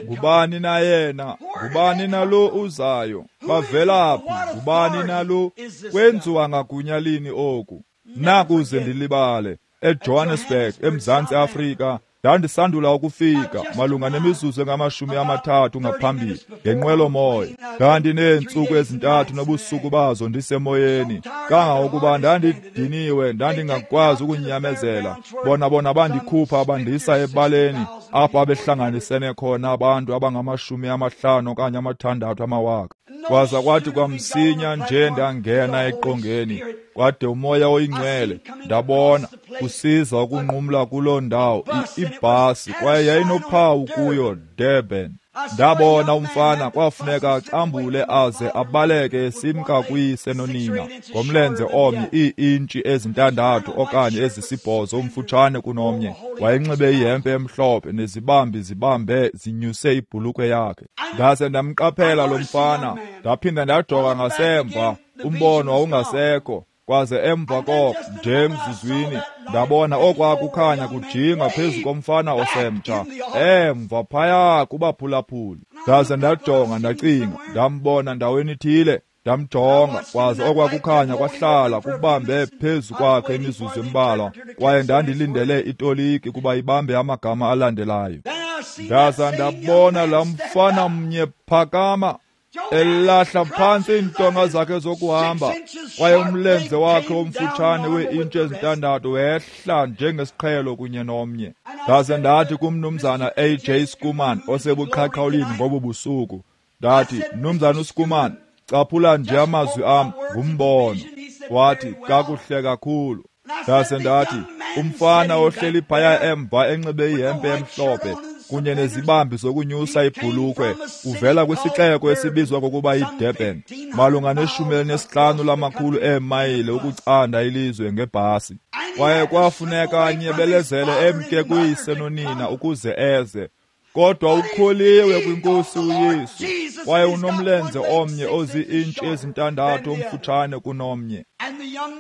Speaker 1: Ngubani na yena? Ngubani na lo uzayo? Bavela phi? Ngubani na lo? Kwenziwa ngagunya lini oku? Nakuze ndilibale, eJohannesburg, eMzantsi Afrika, ndandisandula ukufika malunga nemizuzu engama-30 ngaphambili ngenqwelomoya. Ndandineentsuku ezintathu nobusuku bazo ndisemoyeni, kangangokuba ndandidiniwe, ndandingakwazi ukunyamezela. Bona bandikhupha bandisa ebaleni apho abehlanganisene khona abantu abangama-50 okanye 6 amawaka. Kwaza kwathi kwamsinya nje ndangena eqongeni, kwade uMoya oyiNgcwele ndabona kusiza ukunqumla kuloo ndawo ibhasi, kwaye yayinophawu kuyo Durban. Ndabona umfana kwafuneka acambule aze abaleke esimka kuyise nonina ngomlenze omnye ii-intshi ezi-6 okanye ezi-8 umfutshane kunomnye. Wayenxibe ihempe emhlophe nezibambi zibambe zinyuse ibhulukhwe yakhe. Ndaze ndamqaphela lo mfana, ndaphinda ndajonga ngasemva, umbono wawungasekho. Kwaze emva koko nje emzuzwini ndabona okwakukhanya kujinga phezu komfana osemtsha emva phaya kubaphulaphuli. Ndaze ndajonga ndacinga, ndambona ndaweni ithile. Ndamjonga, kwaze okwakukhanya kwahlala kubambe phezu kwakhe imizuzu embalwa, kwaye ndandilindele itoliki kuba ibambe amagama alandelayo. Ndaza ndabona laa mfana mnye phakama, elahla phantsi iintonga zakhe zokuhamba, kwaye umlenze wakhe omfutshane wee-intshi ezintandathu wehla njengesiqhelo kunye nomnye. Ndaze ndathi kumnumzana A.J. Schoeman osebuqhaqhawulini ngobu busuku, ndathi, Mnumzana uSchoeman, caphula nje amazwi am ngumbono. Wathi, kakuhle kakhulu. Ndaze ndathi, umfana ohleli phaya emva enxibe ihempe emhlophe kunye nezibambi zokunyusa ibhulukhwe uvela kwisixeko esibizwa ngokuba yiDurban, malunga ne-15 lamakhulu eemayile ukucanda ilizwe ngebhasi. Kwaye kwafuneka anyebelezele emke kuyise nonina ukuze eze. Kodwa ukholiwe kwinkosi uYesu, kwaye unomlenze omnye ozii-intshi ezintandathu omfutshane kunomnye.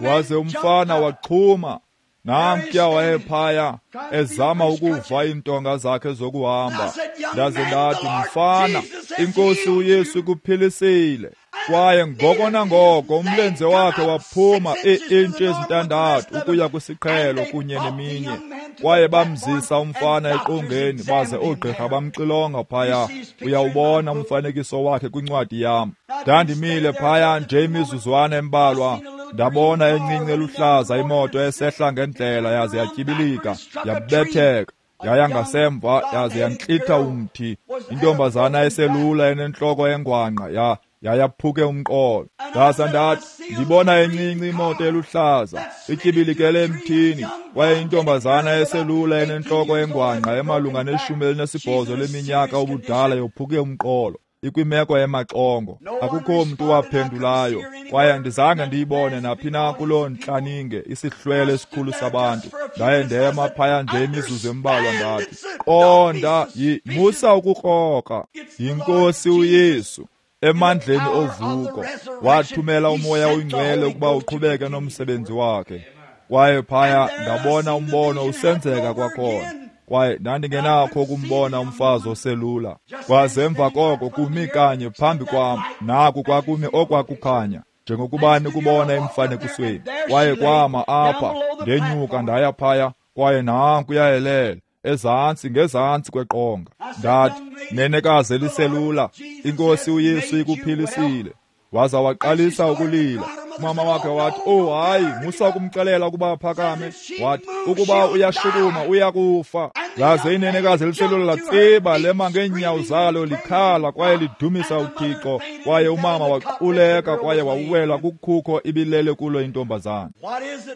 Speaker 1: Waze umfana waxhuma, namtya wayephaya ezama ukuva iintonga zakhe zokuhamba. Ndaze ndathi, mfana, inkosi uYesu ikuphilisile. Kwaye ngoko nangoko umlenze wakhe waphuma ii-intshi ezintandathu ukuya kwisiqhelo kunye neminye. Kwaye bamzisa umfana eqongeni, baze oogqirha bamxilonga phaya. Uyawubona umfanekiso wakhe kwincwadi yam. Ndandimile phaya nje imizuzwana embalwa, ndabona encinci eluhlaza imoto esehla ngendlela, yaze yatyibilika, yabetheka, yaya ngasemva, yaze yantlitha umthi. Intombazana eselula enentloko engwangqa yayaphuke umqolo. Ndaza ndathi, ndibona encinci imoto eluhlaza ityibilikele emthini, kwaye intombazana eselula enentloko engwangqa emalunga ne-18 leminyaka ubudala yophuke umqolo, ikwimeko emaxongo. Akukho mntu waphendulayo, kwaye andizange ndiyibone naphi na kuloo ntlaninge isihlwele esikhulu sabantu. Ndaye ndema phaya nje imizuzu embalwa, ndathi, qonda, musa ukukrokra, yinkosi uYesu emandleni ovuko wathumela umoya oyingcwele ukuba uqhubeke nomsebenzi wakhe. Kwaye phaya ndabona umbono usenzeka kwakhona, kwaye ndandingenakho ukumbona umfazi oselula. Kwaze emva koko kumi kanye phambi kwam, naku kwakumi okwakukhanya njengokuba nikubona emfanekisweni. Kwaye kwama apha, ndenyuka ndaya phaya, kwaye nanku yayelela ezantsi ngezantsi kweqonga. Ndathi, nenekazi eliselula, inkosi uYesu ikuphilisile. Waza waqalisa ukulila. Umama wakhe wathi, oh hayi, musa ukumxelela ukuba aphakame. Wathi, ukuba uyashukuma uyakufa. Laze inenekazi eliselula latsiba lema ngeenyawo zalo likhala kwaye lidumisa uThixo. Kwaye umama waquleka kwaye wawela kukhukho ibilele kulo intombazana.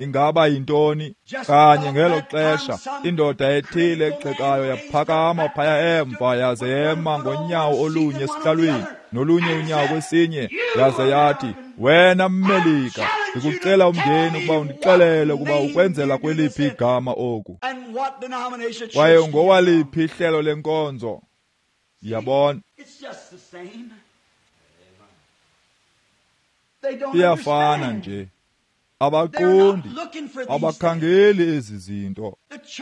Speaker 1: Ingaba yintoni? Kanye ngelo xesha indoda ethile egxekayo yaphakama phaya emva, yaze yema ngonyawo olunye esihlalweni nolunye unyawo kwesinye, yaze yathi, wena Mmelika, ndikucela umngeni ukuba undixelele ukuba ukwenzela kweliphi igama oku, kwaye ngowaliphi ihlelo lenkonzo. Yabona, iyafana nje. Abaqondi, abakhangeli ezi zinto.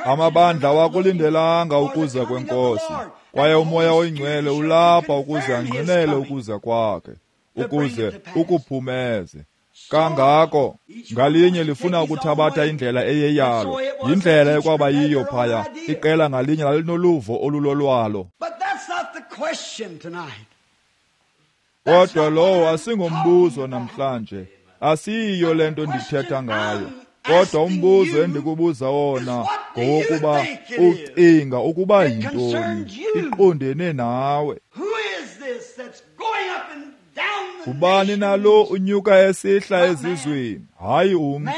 Speaker 1: Amabandla awakulindelanga ukuza kwenkosi, kwaye umoya oyingcwele ulapha ukuze angqinele ukuza kwakhe, ukuze ukuphumeze. Kangako ngalinye lifuna ukuthabatha indlela eyeyalo, yindlela ekwaba yiyo phaya. Iqela ngalinye lalinoluvo olulolwalo. Kodwa lowo asingombuzo namhlanje, asiyiyo le nto ndithetha ngayo. Kodwa umbuzo endikubuza wona ngowokuba ucinga ukuba yintoni, iqondene nawe. Ubani nalo unyuka esihla ezizweni? Hayi umntu.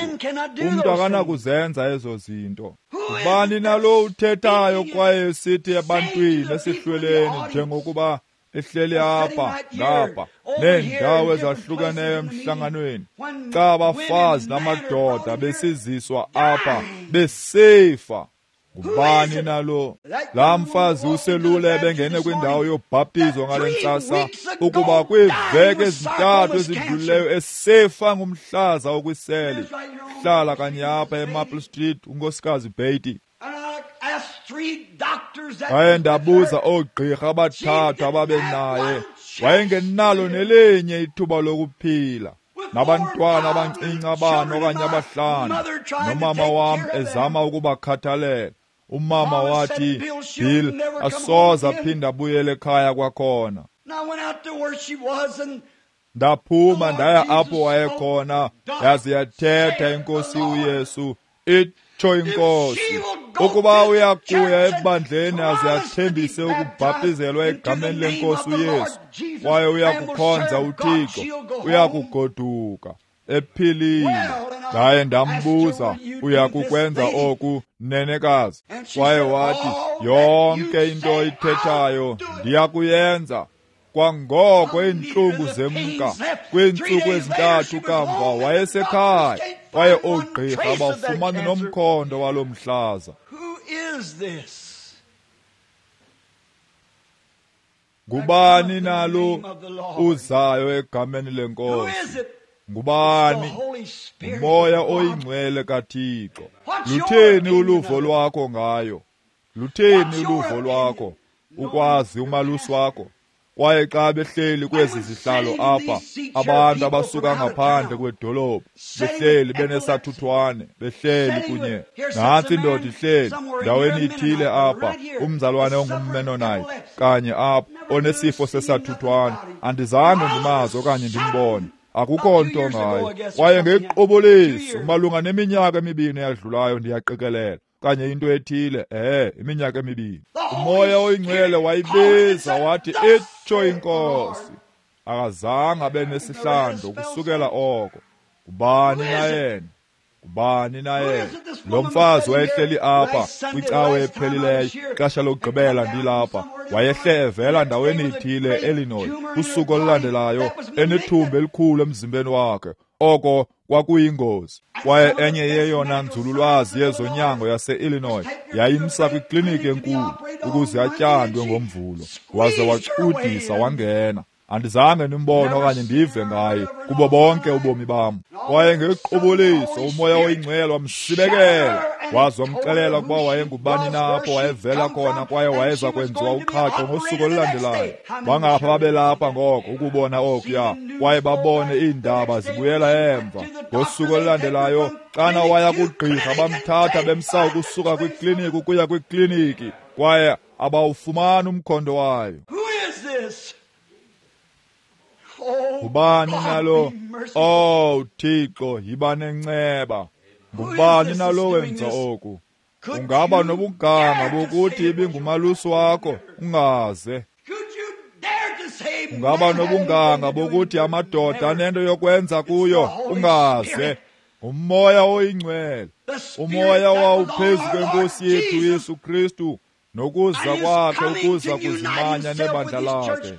Speaker 1: Umntu akanakuzenza ezo zinto. Ubani nalo uthethayo kwaye esithi ebantwini esihlweleni njengokuba ehleli apha ngapha neendawo ezahlukeneyo emhlanganweni, xa abafazi namadoda besiziswa apha besifa? Ngubani nalo? Laa mfazi uselula ebengene kwindawo yobhaptizo ngale ntsasa, ukuba kwiiveki ezintathu ezidlulileyo esefa ngumhlaza okwiseli. Hlala kanye apha eMaple Street, unkosikazi Beatty. Ndaye ndabuza oogqirha abathathu ababenaye, Wayengenalo nelinye ithuba lokuphila. Nabantwana abancinci abane okanye abahlanu, nomama wam ezama ukubakhathalela. Umama wathi, Bill, asoze aphinde abuyele ekhaya kwakhona. Ndaphuma ndaya apho wayekhona, yaze yathetha iNkosi uYesu, itsho iNkosi, ukuba uyakuya ebandleni aze athembise ukubhaptizelwa egameni lenkosi uYesu, kwaye uyakukhonza uThixo, uyakugoduka ephilile. Ndaye ndambuza, uyakukwenza oku, nenekazi? Kwaye wathi, yonke into oyithethayo ndiyakuyenza. Kwangoko iintlungu zemka. Kwiintsuku ezintathu kamva wayesekhaya, kwaye oogqirha bafumana nomkhondo walo mhlaza. Ngubani nalo uzayo egameni lenkosi? Ngubani? Umoya oyingcwele kaThixo. Lutheni uluvo lwakho ngayo? Lutheni uluvo lwakho ukwazi umalusi wakho? Kwaye xa behleli kwezi zihlalo apha, abantu abasuka ngaphandle kwedolophu behleli benesathuthwane, behleli kunye. Nantsi indoda ihleli ndaweni ithile apha, umzalwane ongumMennonite kanye apha, onesifo sesathuthwane. Andizange ndimazi okanye ndimbone, akukho nto ngayo. Kwaye ngequbuliso, malunga neminyaka emibini eyadlulayo, ndiyaqikelela, kanye into ethile, iminyaka emibini, umoya oyingcwele wayibiza wathi, itsho iNkosi. Akazange abe nesihlando kusukela oko. Ngubani na yena? Ngubani na yena? Lo mfazi wayehleli apha kwicawe ephelileyo, ixesha lokugqibela ndilapha, wayehle evela ndaweni ithile eIllinois, kusuku olulandelayo enethumba elikhulu emzimbeni wakhe. Oko kwakuyingozi. Kwaye enye yeyona nzululwazi yezonyango yase-Illinois yayimsa kwikliniki enkulu ukuze atyandwe ngoMvulo, waze wacudisa wangena. Andizange ndimbone okanye ndive ngaye kubo bonke ubomi bam. Kwaye ngequbuliso umoya oyingcwele wamsibekela, waze wamxelela ukuba wayengubani na, apho wayevela khona, kwaye wayeza kwenziwa uqhaqho ngosuku olulandelayo. Bangapha babelapha ngoko ukubona okuya, kwaye babone iindaba zibuyela emva. Ngosuku olulandelayo, xana waya kugqirha, bamthatha bemsa ukusuka kwikliniki ukuya kwikliniki, kwaye abawufumani umkhondo wayo. Ngubani nalo? Oh Thixo, yiba nenceba. Ngubani nalo wenza oku? Ungaba nobuganga bokuthi ibingumalusi wakho, ungaze. Ungaba nobunganga bokuthi amadoda anento yokwenza kuyo, ungaze. Umoya oyingcwele, umoya wawuphezu kwenkosi yethu Yesu Kristu, nokuza kwakhe ukuza kuzimanya nebandla lakhe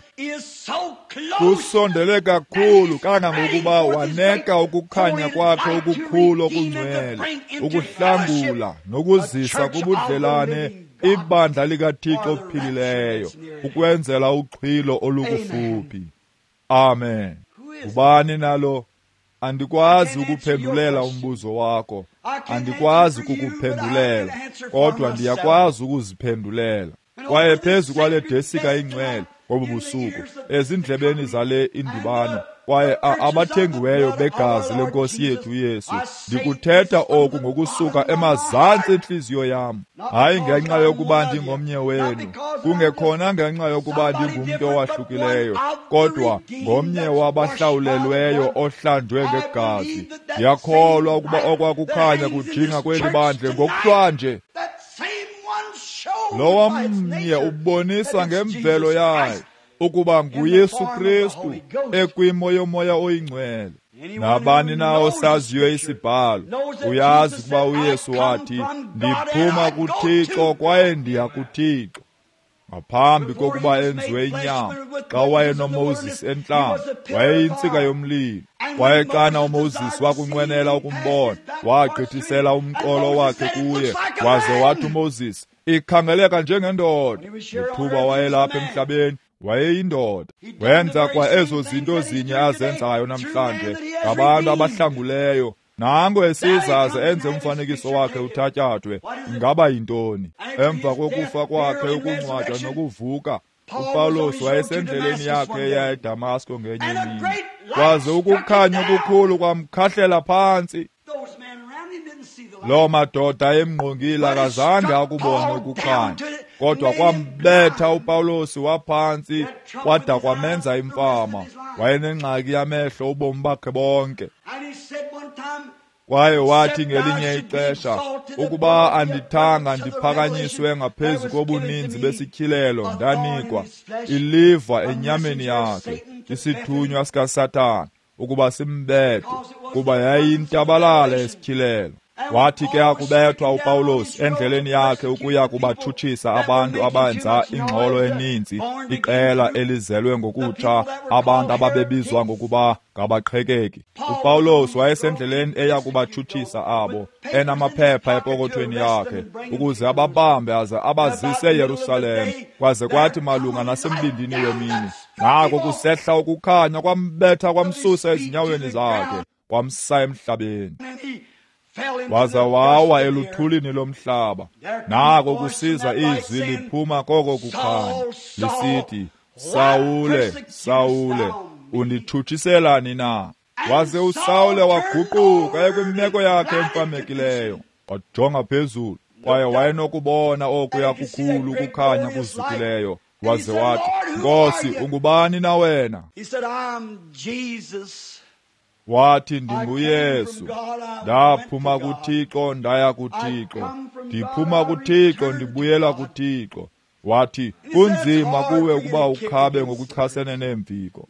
Speaker 1: kusondele kakhulu kangangokuba waneka ukukhanya kwakhe okukhulu okungcwele ukuhlangula nokuzisa kubudlelane ibandla likaThixo ophilileyo ukwenzela uxhwilo olukufuphi. Amen. Ngubani nalo? Andikwazi ukuphendulela umbuzo wakho, andikwazi kukuphendulela, kodwa ndiyakwazi ukuziphendulela. Kwaye phezu kwale desika ingcwele ngobu busuku, ezindlebeni zale indibano, kwaye abathengiweyo begazi lenkosi yethu uYesu, ndikuthetha oku ngokusuka emazantsi entliziyo yam, hayi ngenxa yokuba ndingomnye wenu, kungekhona ngenxa yokuba ndingumntu owahlukileyo, kodwa ngomnye wabahlawulelweyo ohlanjwe ngegazi. Ndiyakholwa ukuba okwakukhanya kujinga kweli bandle ngokuhlwanje. Lowa mnye ubonisa ngemvelo yayo ukuba nguYesu Kristu ekwimo yomoya oyingcwele. Nabani na osaziyo isibhalo uyazi ukuba uYesu wathi, ndiphuma kuThixo kwaye ndiya kuThixo. Ngaphambi kokuba enziwe inyama, xa wayenoMoses entlango, wayeyintsika yomlilo. Kwaye xana uMoses wakunqwenela ukumbona, wagqithisela umqolo wakhe kuye, waze wathi uMoses, ikhangeleka njengendoda. Ngethuba wayelapha emhlabeni, wayeyindoda. Wenza kwa ezo zinto zinye azenzayo namhlanje ngabantu abahlanguleyo. Nango esizaze enze umfanekiso wakhe uthatyathwe. Ingaba yintoni? Emva kokufa kwakhe, ukungcwatywa nokuvuka, uPawulos wayesendleleni yakhe eya eDamasko ngenye imini, kwaze ukukhanya okukhulu kwamkhahlela phantsi. Loo madoda emngqongile akazange akubone ukukhanya, kodwa kwambetha uPawulos waphantsi kwada kwamenza imfama. Wayenengxaki yamehlo ubomi bakhe bonke. Kwaye wathi ngelinye ixesha, ukuba andithanga ndiphakanyiswe ngaphezu kobuninzi besityhilelo, ndanikwa iliva enyameni yakhe, isithunywa sikaSathana, ukuba simbethe, kuba yayintabalala esityhilelo. Wathi ke akubethwa uPawulos endleleni yakhe ukuya kubatshutshisa abantu abenza ingxolo eninzi, iqela elizelwe ngokutsha, abantu ababebizwa ngokuba ngabaqhekeki. uPawulos wayesendleleni eya kubatshutshisa abo, enamaphepha epokothweni yakhe, ukuze ababambe aze abazise eYerusalem. Kwaze kwathi malunga nasembindini wemini, nako kusehla ukukhanya kwambetha kwamsusa ezinyaweni zakhe, kwamsa emhlabeni. Waza wawa eluthulini lomhlaba. Nako kusiza izwi liphuma koko kukhanya, lisithi, Sawule, Sawule, unditshutshiselani na? Waze uSawule waguquka ekwimeko yakhe emfamekileyo, wajonga phezulu, kwaye wayenokubona okuya kukhulu ukukhanya kuzukileyo. Waze wathi, Nkosi, ungubani na wena? Wathi, ndinguYesu. Ndaphuma kuThixo ndaya kuThixo, ndiphuma kuThixo ndibuyela kuThixo. Wathi, kunzima kuwe ukuba ukhabe ngokuchasene neemviko.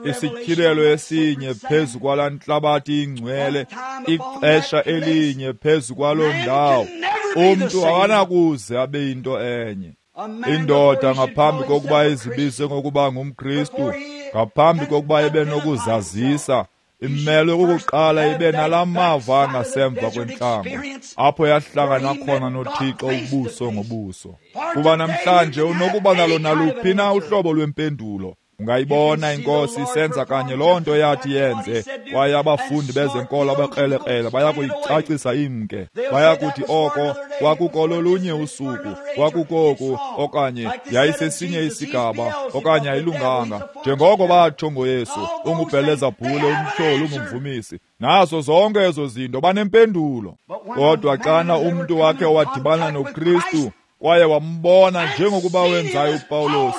Speaker 1: Isityhilelo esinye phezu kwalaa ntlabathi ingcwele, ixesha elinye phezu kwaloo ndawo, umntu akanakuze abe yinto enye. Indoda ngaphambi kokuba izibize ngokuba ngumKristu, ngaphambi kokuba ibe nokuzazisa, imelwe kukuqala ibe nalaa mava angasemva kwentlango, apho yahlangana khona noThixo ubuso ngobuso. Kuba namhlanje unokuba nalo naluphi na uhlobo lwempendulo. Ungayibona iNkosi isenza kanye loo nto yathi yenze, kwaye abafundi bezenkolo abakrelekrele bayakuyicacisa imke. Bayakuthi oko kwakukololunye usuku, kwakukoku, okanye yayisesinye isigaba, okanye ayilunganga. Njengoko batsho ngoYesu, unguBhelezabhule, umtyholi, ungumvumisi. Nazo zonke ezo zinto banempendulo. Kodwa xana umntu wakhe wadibana noKristu, kwaye wambona njengokuba wenzayo uPawulos,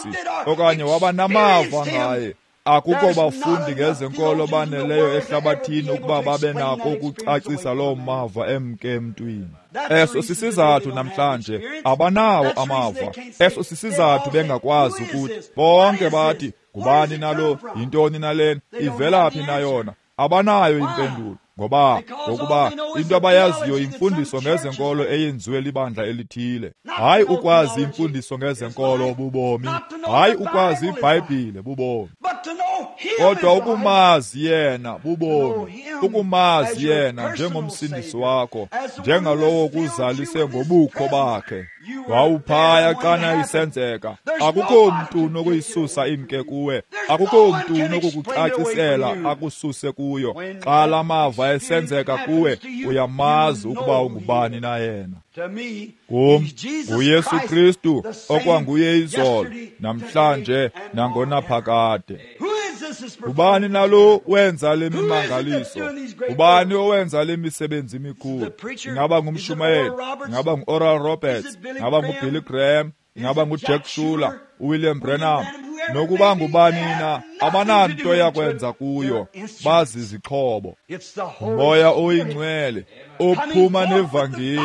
Speaker 1: okanye waba namava ngaye, akukho bafundi ngezenkolo baneleyo ehlabathini ukuba babe nako ukucacisa loo mava emke emntwini. Eso sisizathu namhlanje abanawo amava. Eso sisizathu bengakwazi ukuthi bonke bathi, ngubani nalo, yintoni nalena, ivelaphi na yona? Abanayo impendulo. Ngoba ngokuba into abayaziyo imfundiso ngezenkolo eyenziwe libandla elithile. Hayi ukwazi imfundiso ngezenkolo bubomi, hayi ukwazi iBhayibhile bubomi, kodwa ukumazi yena bubomi, ukumazi yena njengomsindisi wakho, njengalowo kuzalise ngobukho bakhe. Wawuphaya xana isenzeka. Akukho mntu unokuyisusa imke kuwe, akukho mntu unokukucacisela akususe kuyo. Xa la mava esenzeka kuwe, uyamazi ukuba ungubani na yena. Kum nguYesu Kristu okwanguye izolo, namhlanje, nangonaphakade. Ubani nalo wenza le mimangaliso? Ubani owenza le misebenzi mikhulu? Ingaba ngumshumayeli, ingaba ngu-Oral Roberts, ingaba nguBilly Graham, ingaba nguJack Schuler, uWilliam Branham, nokuba ngubani na, abananto yakwenza kuyo, bazizixhobo. Umoya oyingcwele ophuma nevangeli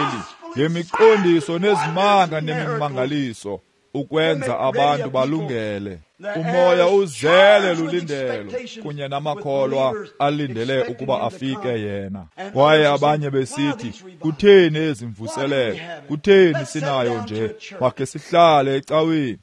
Speaker 1: ngemiqondiso nezimanga nemimangaliso ukwenza abantu balungele. Umoya uzele lulindelo kunye namakholwa alindele ukuba afike yena. Kwaye abanye besithi, kutheni ezi mvuselelo? Kutheni sinayo nje? Makhe sihlale ecaweni.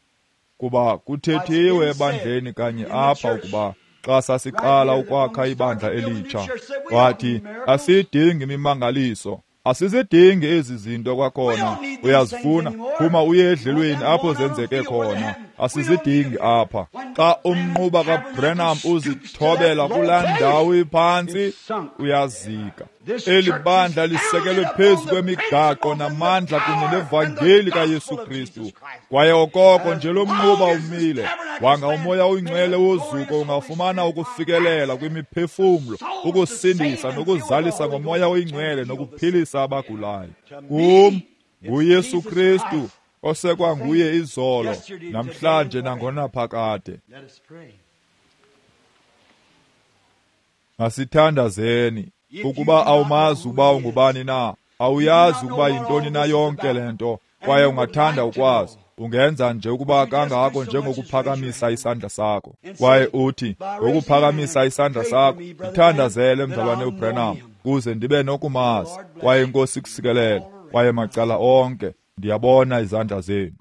Speaker 1: Kuba kuthethiwe ebandleni kanye apha ukuba xa sasiqala ukwakha ibandla elitsha, wathi asidingi imimangaliso, asizidingi ezi zinto kwakhona. Uyazifuna, phuma uye edlelweni apho zenzeke khona. Asizidingi apha. Xa umnquba kaBranham uzithobela kulaa ndawo iphantsi, uyazika. Eli bandla lisekelwe phezu kwemigaqo namandla kunye nevangeli kaYesu Kristu. Kwaye okoko nje lo mnquba umile, wanga uMoya oyiNgcwele wozuko ungafumana ukufikelela kwimiphefumlo, ukusindisa nokuzalisa ngoMoya oyiNgcwele nokuphilisa abagulayo. Kum nguYesu Kristu osekwanguye izolo, namhlanje nangonaphakade. Masithandazeni. Ukuba awumazi ukuba ungubani na, awuyazi ukuba yintoni na yonke le nto, kwaye ungathanda ukwazi, ungenza nje ukuba kangako njengokuphakamisa isandla sakho. Kwaye uthi, ngokuphakamisa isandla sakho, ndithandazele mzalwane uBranham, kuze ndibe nokumazi. Kwaye iNkosi ikusikelele, kwaye macala onke, ndiyabona izandla zenu.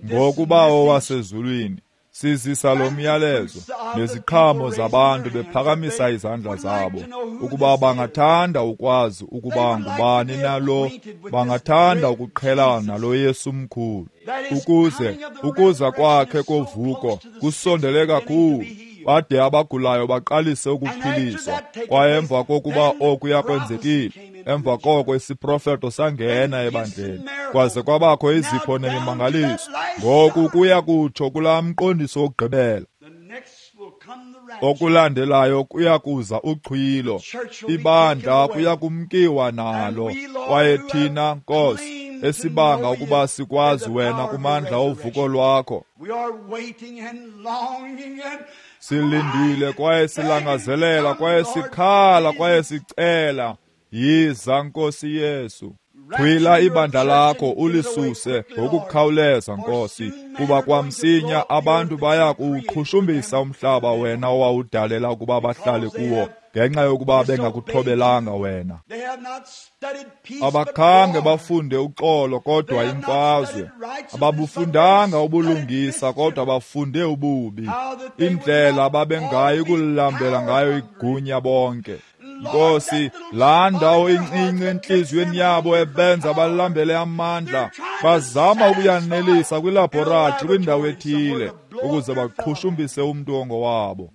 Speaker 1: Ngokuba owasezulwini, sizisa lo myalezo neziqhamo zabantu bephakamisa izandla zabo, ukuba bangathanda ukwazi ukuba ngubani na lo, bangathanda ukuqhelana nalo Yesu mkhulu, ukuze ukuza kwakhe kovuko kusondele kakhulu, bade abagulayo baqalise ukuphiliswa. Kwaye emva kokuba okuya kwenzekile, emva koko isiprofeto sangena ebandleni, kwaze kwabakho izipho nemimangaliso. Ngoku kuya kutsho kulaa mqondiso wokugqibela. Okulandelayo kuya kuza uxhwilo, ibandla kuya kumkiwa nalo. Kwaye thina, Nkosi, esibanga ukuba sikwazi wena kumandla ovuko lwakho, silindile kwaye silangazelela kwaye sikhala kwaye sicela, yiza Nkosi Yesu. Xhwila ibandla lakho ulisuse ngokukhawuleza, Nkosi, kuba kwamsinya abantu baya kuwuqhushumbisa umhlaba wena owawudalela ukuba bahlale kuwo, ngenxa yokuba bengakuthobelanga wena. Abakhange bafunde uxolo kodwa imfazwe, ababufundanga ubulungisa kodwa bafunde ububi, indlela ababengayi kulilambela ngayo igunya bonke. Nkosi, laa ndawo incinci entliziyweni yabo ebenza balambele amandla, bazama ukuyanelisa kwilabhoratri kwindawo ethile ukuze baqhushumbise umntu ongowabo.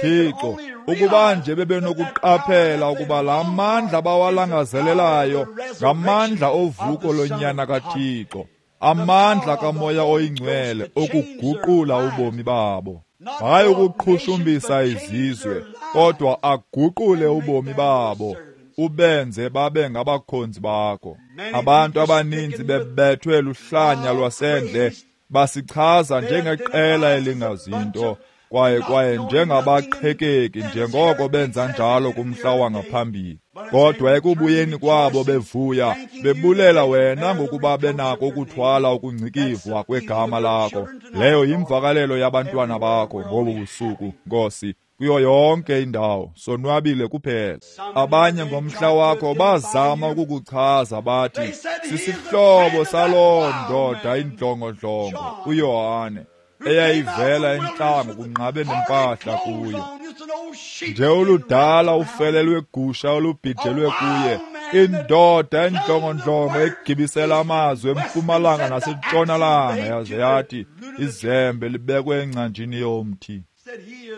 Speaker 1: Thixo, ukuba nje bebenokuqaphela ukuba laa mandla bawalangazelelayo ngamandla ovuko lonyana kaThixo, amandla kaMoya oyiNgcwele okuguqula ubomi babo. Hayi ukuqhushumbisa izizwe, kodwa aguqule ubomi babo, ubenze babe ngabakhonzi bakho. Abantu abaninzi bebethwe luhlanya lwasendle, basichaza njengeqela elingazinto, kwaye njengabaqhekeki, njengoko benza njalo kumhla wangaphambili. Kodwa ekubuyeni kwabo bevuya, bebulela wena ngokuba benako ukuthwala ukungcikivwa kwegama lakho. Leyo yimvakalelo yabantwana bakho ngobu busuku, Nkosi, kuyo yonke indawo, sonwabile kuphela. Abanye ngomhla wakho bazama ukukuchaza bathi, sisihlobo saloo ndoda indlongondlongo, uYohane, eyayivela entlango kunqabe nempahla kuyo. Nje oludala ufele lwegusha olubhijelwe kuye, indoda endlongondlongo egibisela amazwi empumalanga nasentshonalanga, yaze yathi izembe libekwe engcanjini yomthi.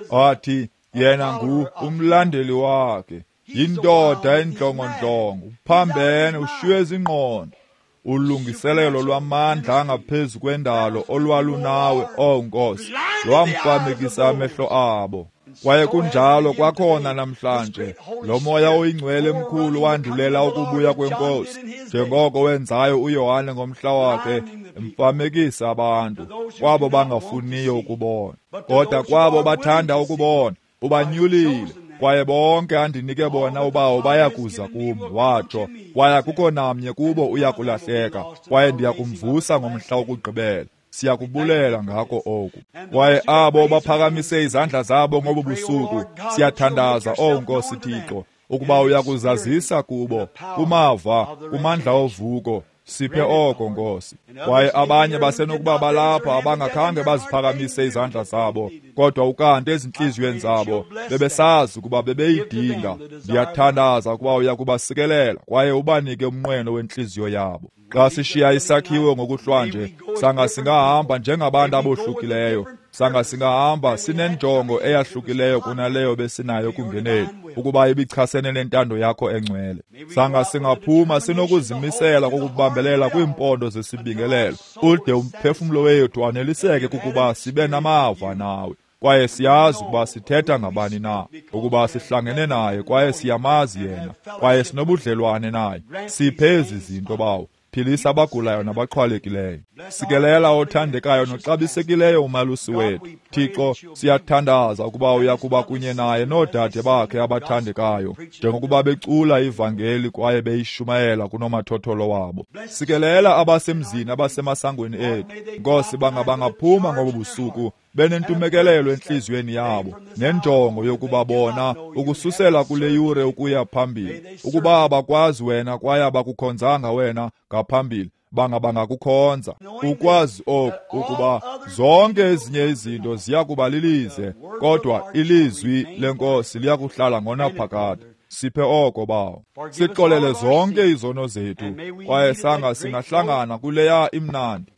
Speaker 1: Wathi yena ngu umlandeli wakhe, yindoda endlongondlongo, uphambene, ushiywe zingqondo. Ulungiselelo lwamandla angaphezu kwendalo olwalunawe, oh Nkosi, lwamfamekisa amehlo abo. Kwaye kunjalo kwakhona namhlanje, lo Moya oyiNgcwele mkhulu wandulela ukubuya kweNkosi, njengoko wenzayo uYohane ngomhla wakhe, emfamekisa abantu, kwabo bangafuniyo ukubona. Kodwa kwabo bathanda ukubona, ubanyulile. Kwaye bonke andinike bona ubawo bayakuza kum, watsho, kwaye akukho namnye kubo uya kulahleka, kwaye ndiya kumvusa ngomhla wokugqibela. Siyakubulela ngako oku. Kwaye abo baphakamise izandla zabo ngobu busuku, siyathandaza, oh Nkosi Thixo, ukuba uyakuzazisa kubo, kumava, kumandla ovuko. Siphe oko, Nkosi. Kwaye abanye basenokuba balapha abangakhange baziphakamise izandla zabo, kodwa ukanti ezintliziyweni zabo bebesazi ukuba bebeyidinga. Ndiyathandaza ukuba uya kubasikelela kwaye ubanike umnqweno wentliziyo yabo. Xa sishiya isakhiwo ngokuhlwanje, sanga singahamba njengabantu abohlukileyo, sanga singahamba sinenjongo eyahlukileyo kunaleyo besinayo kungeneni, ukuba ibichasene nentando yakho engcwele. Sanga singaphuma sinokuzimisela kokubambelela kwiimpondo zesibingelelo, ude umphefumlo wethu aneliseke kukuba sibe namava nawe. Kwaye siyazi ukuba sithetha ngabani na, ukuba sihlangene naye kwaye siyamazi yena, kwaye sinobudlelwane naye. Siphe ezi zinto, Bawo. Philisa abagulayo nabaxhwalekileyo. Sikelela othandekayo noxabisekileyo umalusi wethu. Thixo, siyathandaza ukuba uya kuba kunye naye noodade bakhe abathandekayo, njengokuba becula ivangeli kwaye beyishumayela kunomathotholo wabo. Sikelela abasemzini abasemasangweni ethu. Nkosi, bangaphuma ngobu busuku benentumekelelo entliziyweni yabo nenjongo yokuba bona ukususela kule yure ukuya phambili, ukuba abakwazi wena kwaye abakukhonzanga wena ngaphambili, bangakukhonza. Ukwazi oku, ukuba zonke ezinye izinto ziya kuba lilize, kodwa ilizwi lenkosi liya kuhlala ngonaphakade. Siphe oko, Bawo. Sixolele zonke izono zethu, kwaye sanga singahlangana kuleya imnandi.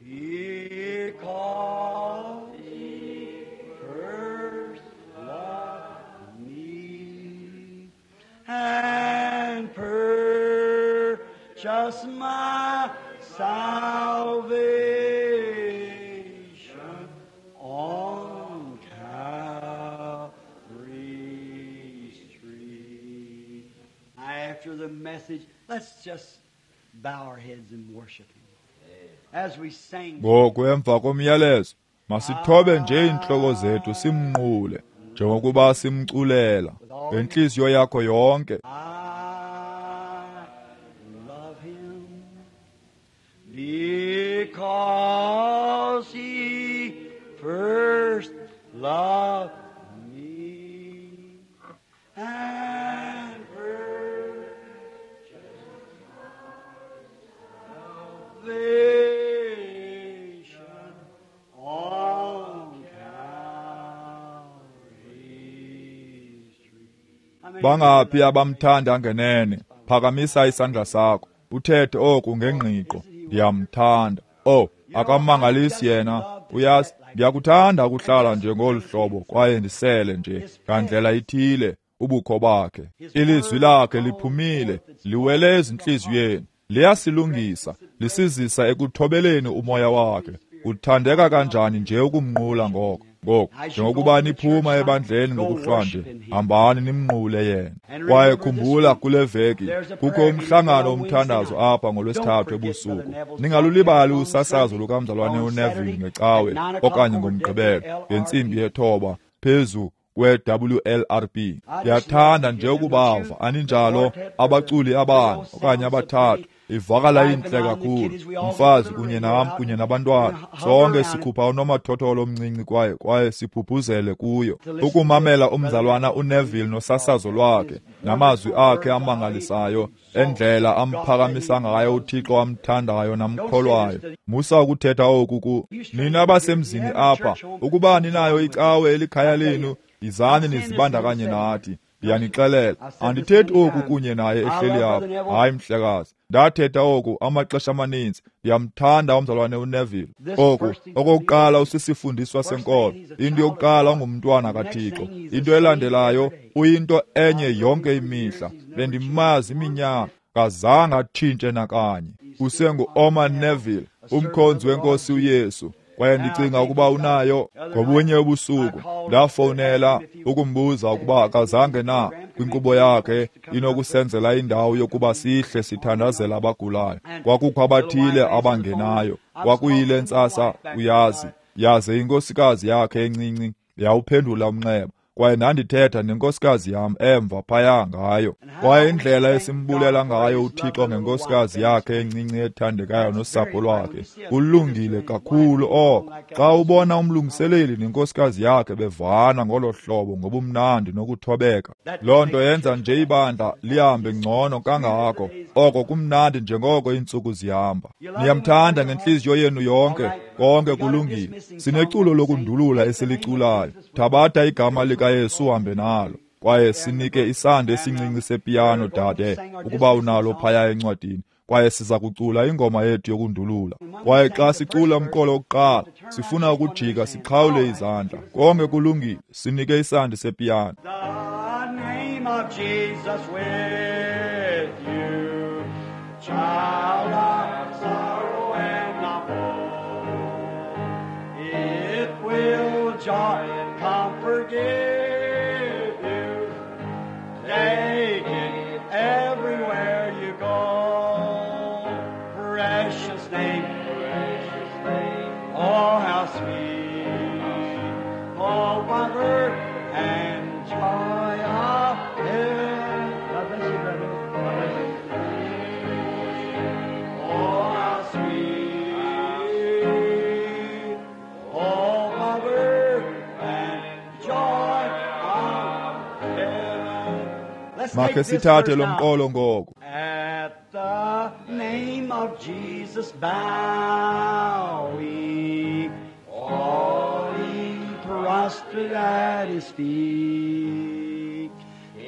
Speaker 2: Because he first loved me and purchased my salvation on Calvary's tree. After the message, let's just bow our heads and worship him. As we sang,
Speaker 1: Ngoku emva komyalezo, masithobe nje iintloko zethu simnqule, njengokuba simculela ngentliziyo yakho yonke.
Speaker 2: I love him because he first loved me and purchased salvation on Calvary's tree. How many
Speaker 1: Bangaphi abamthanda ngenene? Phakamisa isandla sakho, uthethe oku ngengqiqo, ndiyamthanda. Oh, akamangalisi yena. Uyazi, ndiyakuthanda ukuhlala nje ngolu hlobo kwaye ndisele nje ngandlela ithile ubukho bakhe. Ilizwi lakhe liphumile, liwele ezintliziyweni, liyasilungisa, lisizisa ekuthobeleni umoya wakhe. Kuthandeka kanjani nje ukumnqula ngoko. Ngoku, njengokuba niphuma ebandleni ngokuhlwanje, hambani nimnqule yena. Kwaye khumbula, kule veki kukho umhlangano womthandazo apha ngoLwesithathu ebusuku. Ningalulibali usasazo lukamzalwane uNeville ngeCawe okanye ngoMgqibelo ngentsimbi 9 phezu kwe-WLRB. Ndiyathanda nje ukubava, aninjalo, abaculi abane okanye abathathu. Ivakala intle kakhulu. Umfazi kunye nam kunye nabantwana, sonke sikhupha unomathotholo omncinci kwaye siphuphuzele kuyo. Ukumamela umzalwana uNeville nosasazo lwakhe namazwi akhe amangalisayo, endlela amphakamisa ngayo uThixo amthandayo namkholwayo. Musa ukuthetha oku ku nina basemzini apha. Ukuba ninayo icawe elikhaya lenu, yizani nizibandakanye nathi. Ndiyanixelela, andithethi oku kunye naye ehleli apha. Hayi, mhlekazi, ndathetha oku amaxesha amaninzi. Ndiyamthanda umzalwane uNeville. Oku okokuqala usisifundiswa senkolo. Into yokuqala ungumntwana kaThixo. Into elandelayo uyinto enye yonke imihla. Bendimazi iminyaka, kazange atshintshe nakanye. Usengu-Orman Neville, umkhonzi wenkosi uYesu. Kwaye ndicinga ukuba unayo. Ngobunye ubusuku ndafowunela ukumbuza ukuba akazange na kwinkqubo yakhe inokusenzela indawo yokuba sihle sithandazela abagulayo. Kwakukho abathile abangenayo. Kwakuyile ntsasa, uyazi, yaze inkosikazi yakhe encinci yawuphendula umnxeba. Kwaye ndandithetha nenkosikazi yam emva phaya ngayo. Kwaye indlela esimbulela ngayo uThixo ngenkosikazi yakhe encinci ethandekayo nosapho lwakhe, kulungile kakhulu oko. Xa ubona umlungiseleli nenkosikazi yakhe bevana ngolo hlobo ngobumnandi nokuthobeka, loo nto yenza nje ibandla lihambe ngcono kangako. Oko kumnandi njengoko iintsuku zihamba. Niyamthanda ngentliziyo yenu yonke, konke kulungile. Sineculo lokundulula esiliculayo. Thabatha igama likaYesu uhambe nalo. Kwaye sinike isandi esincinci sepiyano, dade, ukuba unalo phaya encwadini. Kwaye siza kucula ingoma yethu yokundulula. Kwaye xa sicula umqolo wokuqala, sifuna ukujika sixhawule izandla. Konke kulungile, sinike isandi sepiyano.
Speaker 2: The name of Jesus with you, child of sorrow and of woe. It will joy and comfort give you. Take it everywhere you go. Precious name, precious name. Oh, how sweet. Oh, comfort and joy of heaven. God bless you, brother. God bless you. Oh, how sweet. Oh, comfort and joy of heaven. Let's
Speaker 1: Makhe
Speaker 2: take this
Speaker 1: sithathe
Speaker 2: verse
Speaker 1: lo
Speaker 2: now.
Speaker 1: mqolo ngoku.
Speaker 2: At the name of Jesus bow we, all ye prostrate at his feet.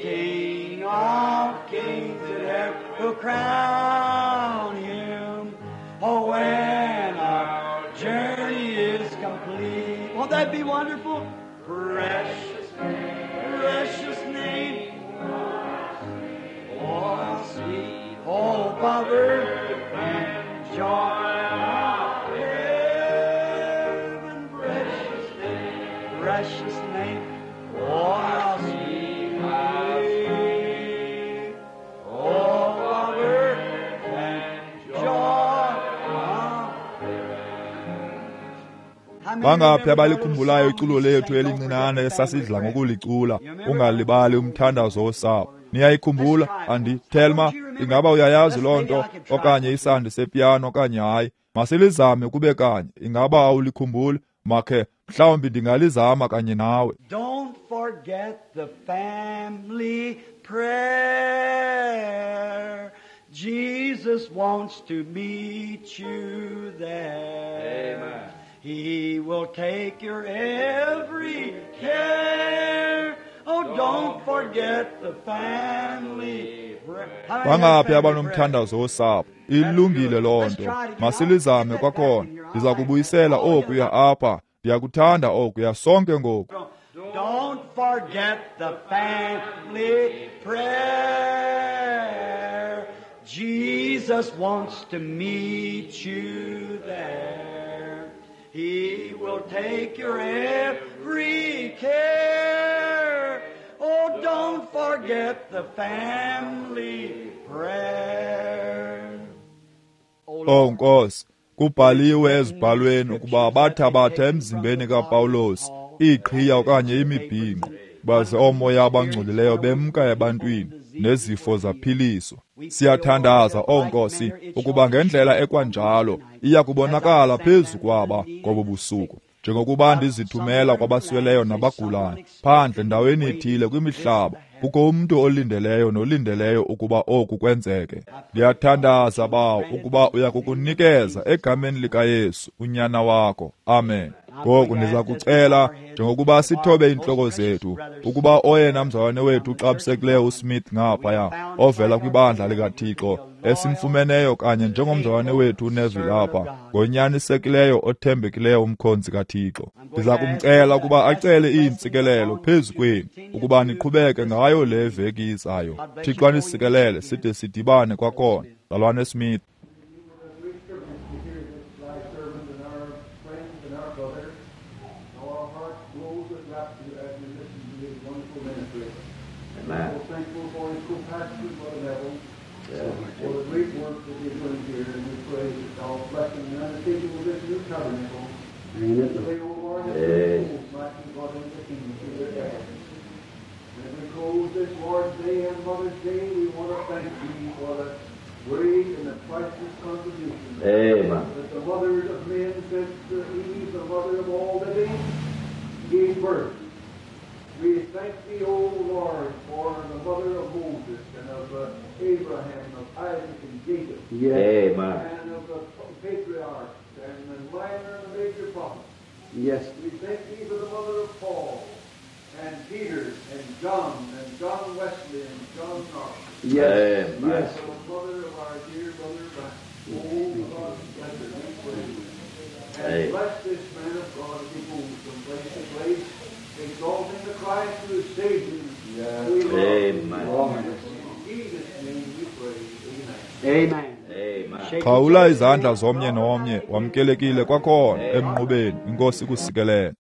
Speaker 2: King of kings and ever will crown him. Oh, when our journey is complete. Won't that be wonderful? Precious name, precious name. Oh, sweet hope of earth and joy of heaven, precious name, precious name. Oh, how sweet, how sweet. Hope of earth and joy of heaven. How many
Speaker 1: Bangaphi
Speaker 2: remember our little
Speaker 1: abalikhumbulayo
Speaker 2: song
Speaker 1: iculo
Speaker 2: we
Speaker 1: lethu
Speaker 2: sang, Don't
Speaker 1: elincinane
Speaker 2: Forget the Family
Speaker 1: esasidla
Speaker 2: Prayer?
Speaker 1: ngokulicula,
Speaker 2: You remember?
Speaker 1: ungalibali umthandazo wosapho. Niyayikhumbula? Andi Thelma, ingaba uyayazi loo nto okanye isandi sepiyano okanye hayi? Masilizame kube kanye. Ingaba awulikhumbuli? Makhe mhlawumbi ndingalizama kanye nawe.
Speaker 2: Don't forget the family prayer. Jesus wants to meet you there.
Speaker 3: Amen.
Speaker 2: He will take your every care. Oh, don't forget the family prayer. How many
Speaker 1: Bangaphi
Speaker 2: have family prayer?
Speaker 1: abanomthandazo wosapho? Ilungile loo nto. Masilizame kwakhona. Ndiza kubuyisela okuya apha. Ndiyakuthanda okuya sonke ngoku.
Speaker 2: Don't forget the family prayer. Jesus wants to meet you there. He will take your every care. Oh, don't forget the family prayer. Oh,
Speaker 1: Oh
Speaker 2: Lord.
Speaker 1: Nkosi, kubhaliwe ezibhalweni ukuba bathabatha emzimbeni kaPawulos iiqhiya okanye imibhinqo, baze oomoya abangcolileyo bemka ebantwini nezifo zaphiliswa. Siyathandaza, oh Nkosi, ukuba ngendlela ekwanjalo iya kubonakala phezu kwaba ngobu busuku, njengokuba ndizithumela kwabasweleyo nabagulayo phandle ndaweni ithile kwimihlaba. Kukho umntu olindeleyo nolindeleyo ukuba oku kwenzeke. Ndiyathandaza, Bawo, ukuba uya kukunikeza egameni likaYesu unyana wakho. Amen. Ngoku ndiza kucela, njengokuba sithobe iintloko zethu, ukuba oyena mzalwane wethu uxabisekileyo uSmith ngaphaya, ovela kwibandla likaThixo, esimfumeneyo kanye njengomzalwane wethu uNeville apha, ngonyanisekileyo othembekileyo umkhonzi kaThixo. Ndiza kumcela ukuba acele iintsikelelo phezu kwenu, ukuba niqhubeke ngayo le veki izayo. Thixo anisikelele side sidibane kwakhona. Mzalwane Smith.
Speaker 4: Great privilege to hear this thy servant and our friend and our brother. How our hearts glows with rapture as we listen to his wonderful ministry.
Speaker 3: Amen.
Speaker 4: So thankful for his co-pastor, Brother Neville, for the great work that he's doing here, and we pray that thou bless him in undertaking with this new tabernacle.
Speaker 2: Amen.
Speaker 4: Pray, O Lord, that
Speaker 3: Yes.
Speaker 4: the souls might be brought into the kingdom through their efforts. this Lord's Day and Mother's Day, we want to thank Thee for the great and the priceless contribution.
Speaker 3: Amen.
Speaker 4: That the mothers of men, since Eve, the mother of all living, gave birth. We thank Thee, O Lord, for the mother of Moses and of Abraham, of Isaac and Jacob.
Speaker 2: Yes.
Speaker 3: Amen.
Speaker 4: And of the patriarchs and the minor and the major prophets.
Speaker 2: Yes.
Speaker 4: We thank Thee for the mother of Paul and Peter and John Wesley and John Knox.
Speaker 2: Yes.
Speaker 3: Amen.
Speaker 2: Yes.
Speaker 4: For the mother of our dear brother Brian. Oh, God, bless her, we pray. And
Speaker 3: Amen.
Speaker 4: bless this man of God as he moves from place to place, exalting the Christ who has saved him.
Speaker 2: Yes.
Speaker 4: We love.
Speaker 3: Amen.
Speaker 4: In Jesus' name we pray. Amen.
Speaker 2: Amen.
Speaker 3: Amen.
Speaker 1: Xhawula izandla zomnye nomnye, wamkelekile kwakhona emnqubeni. Inkosi ikusikelele.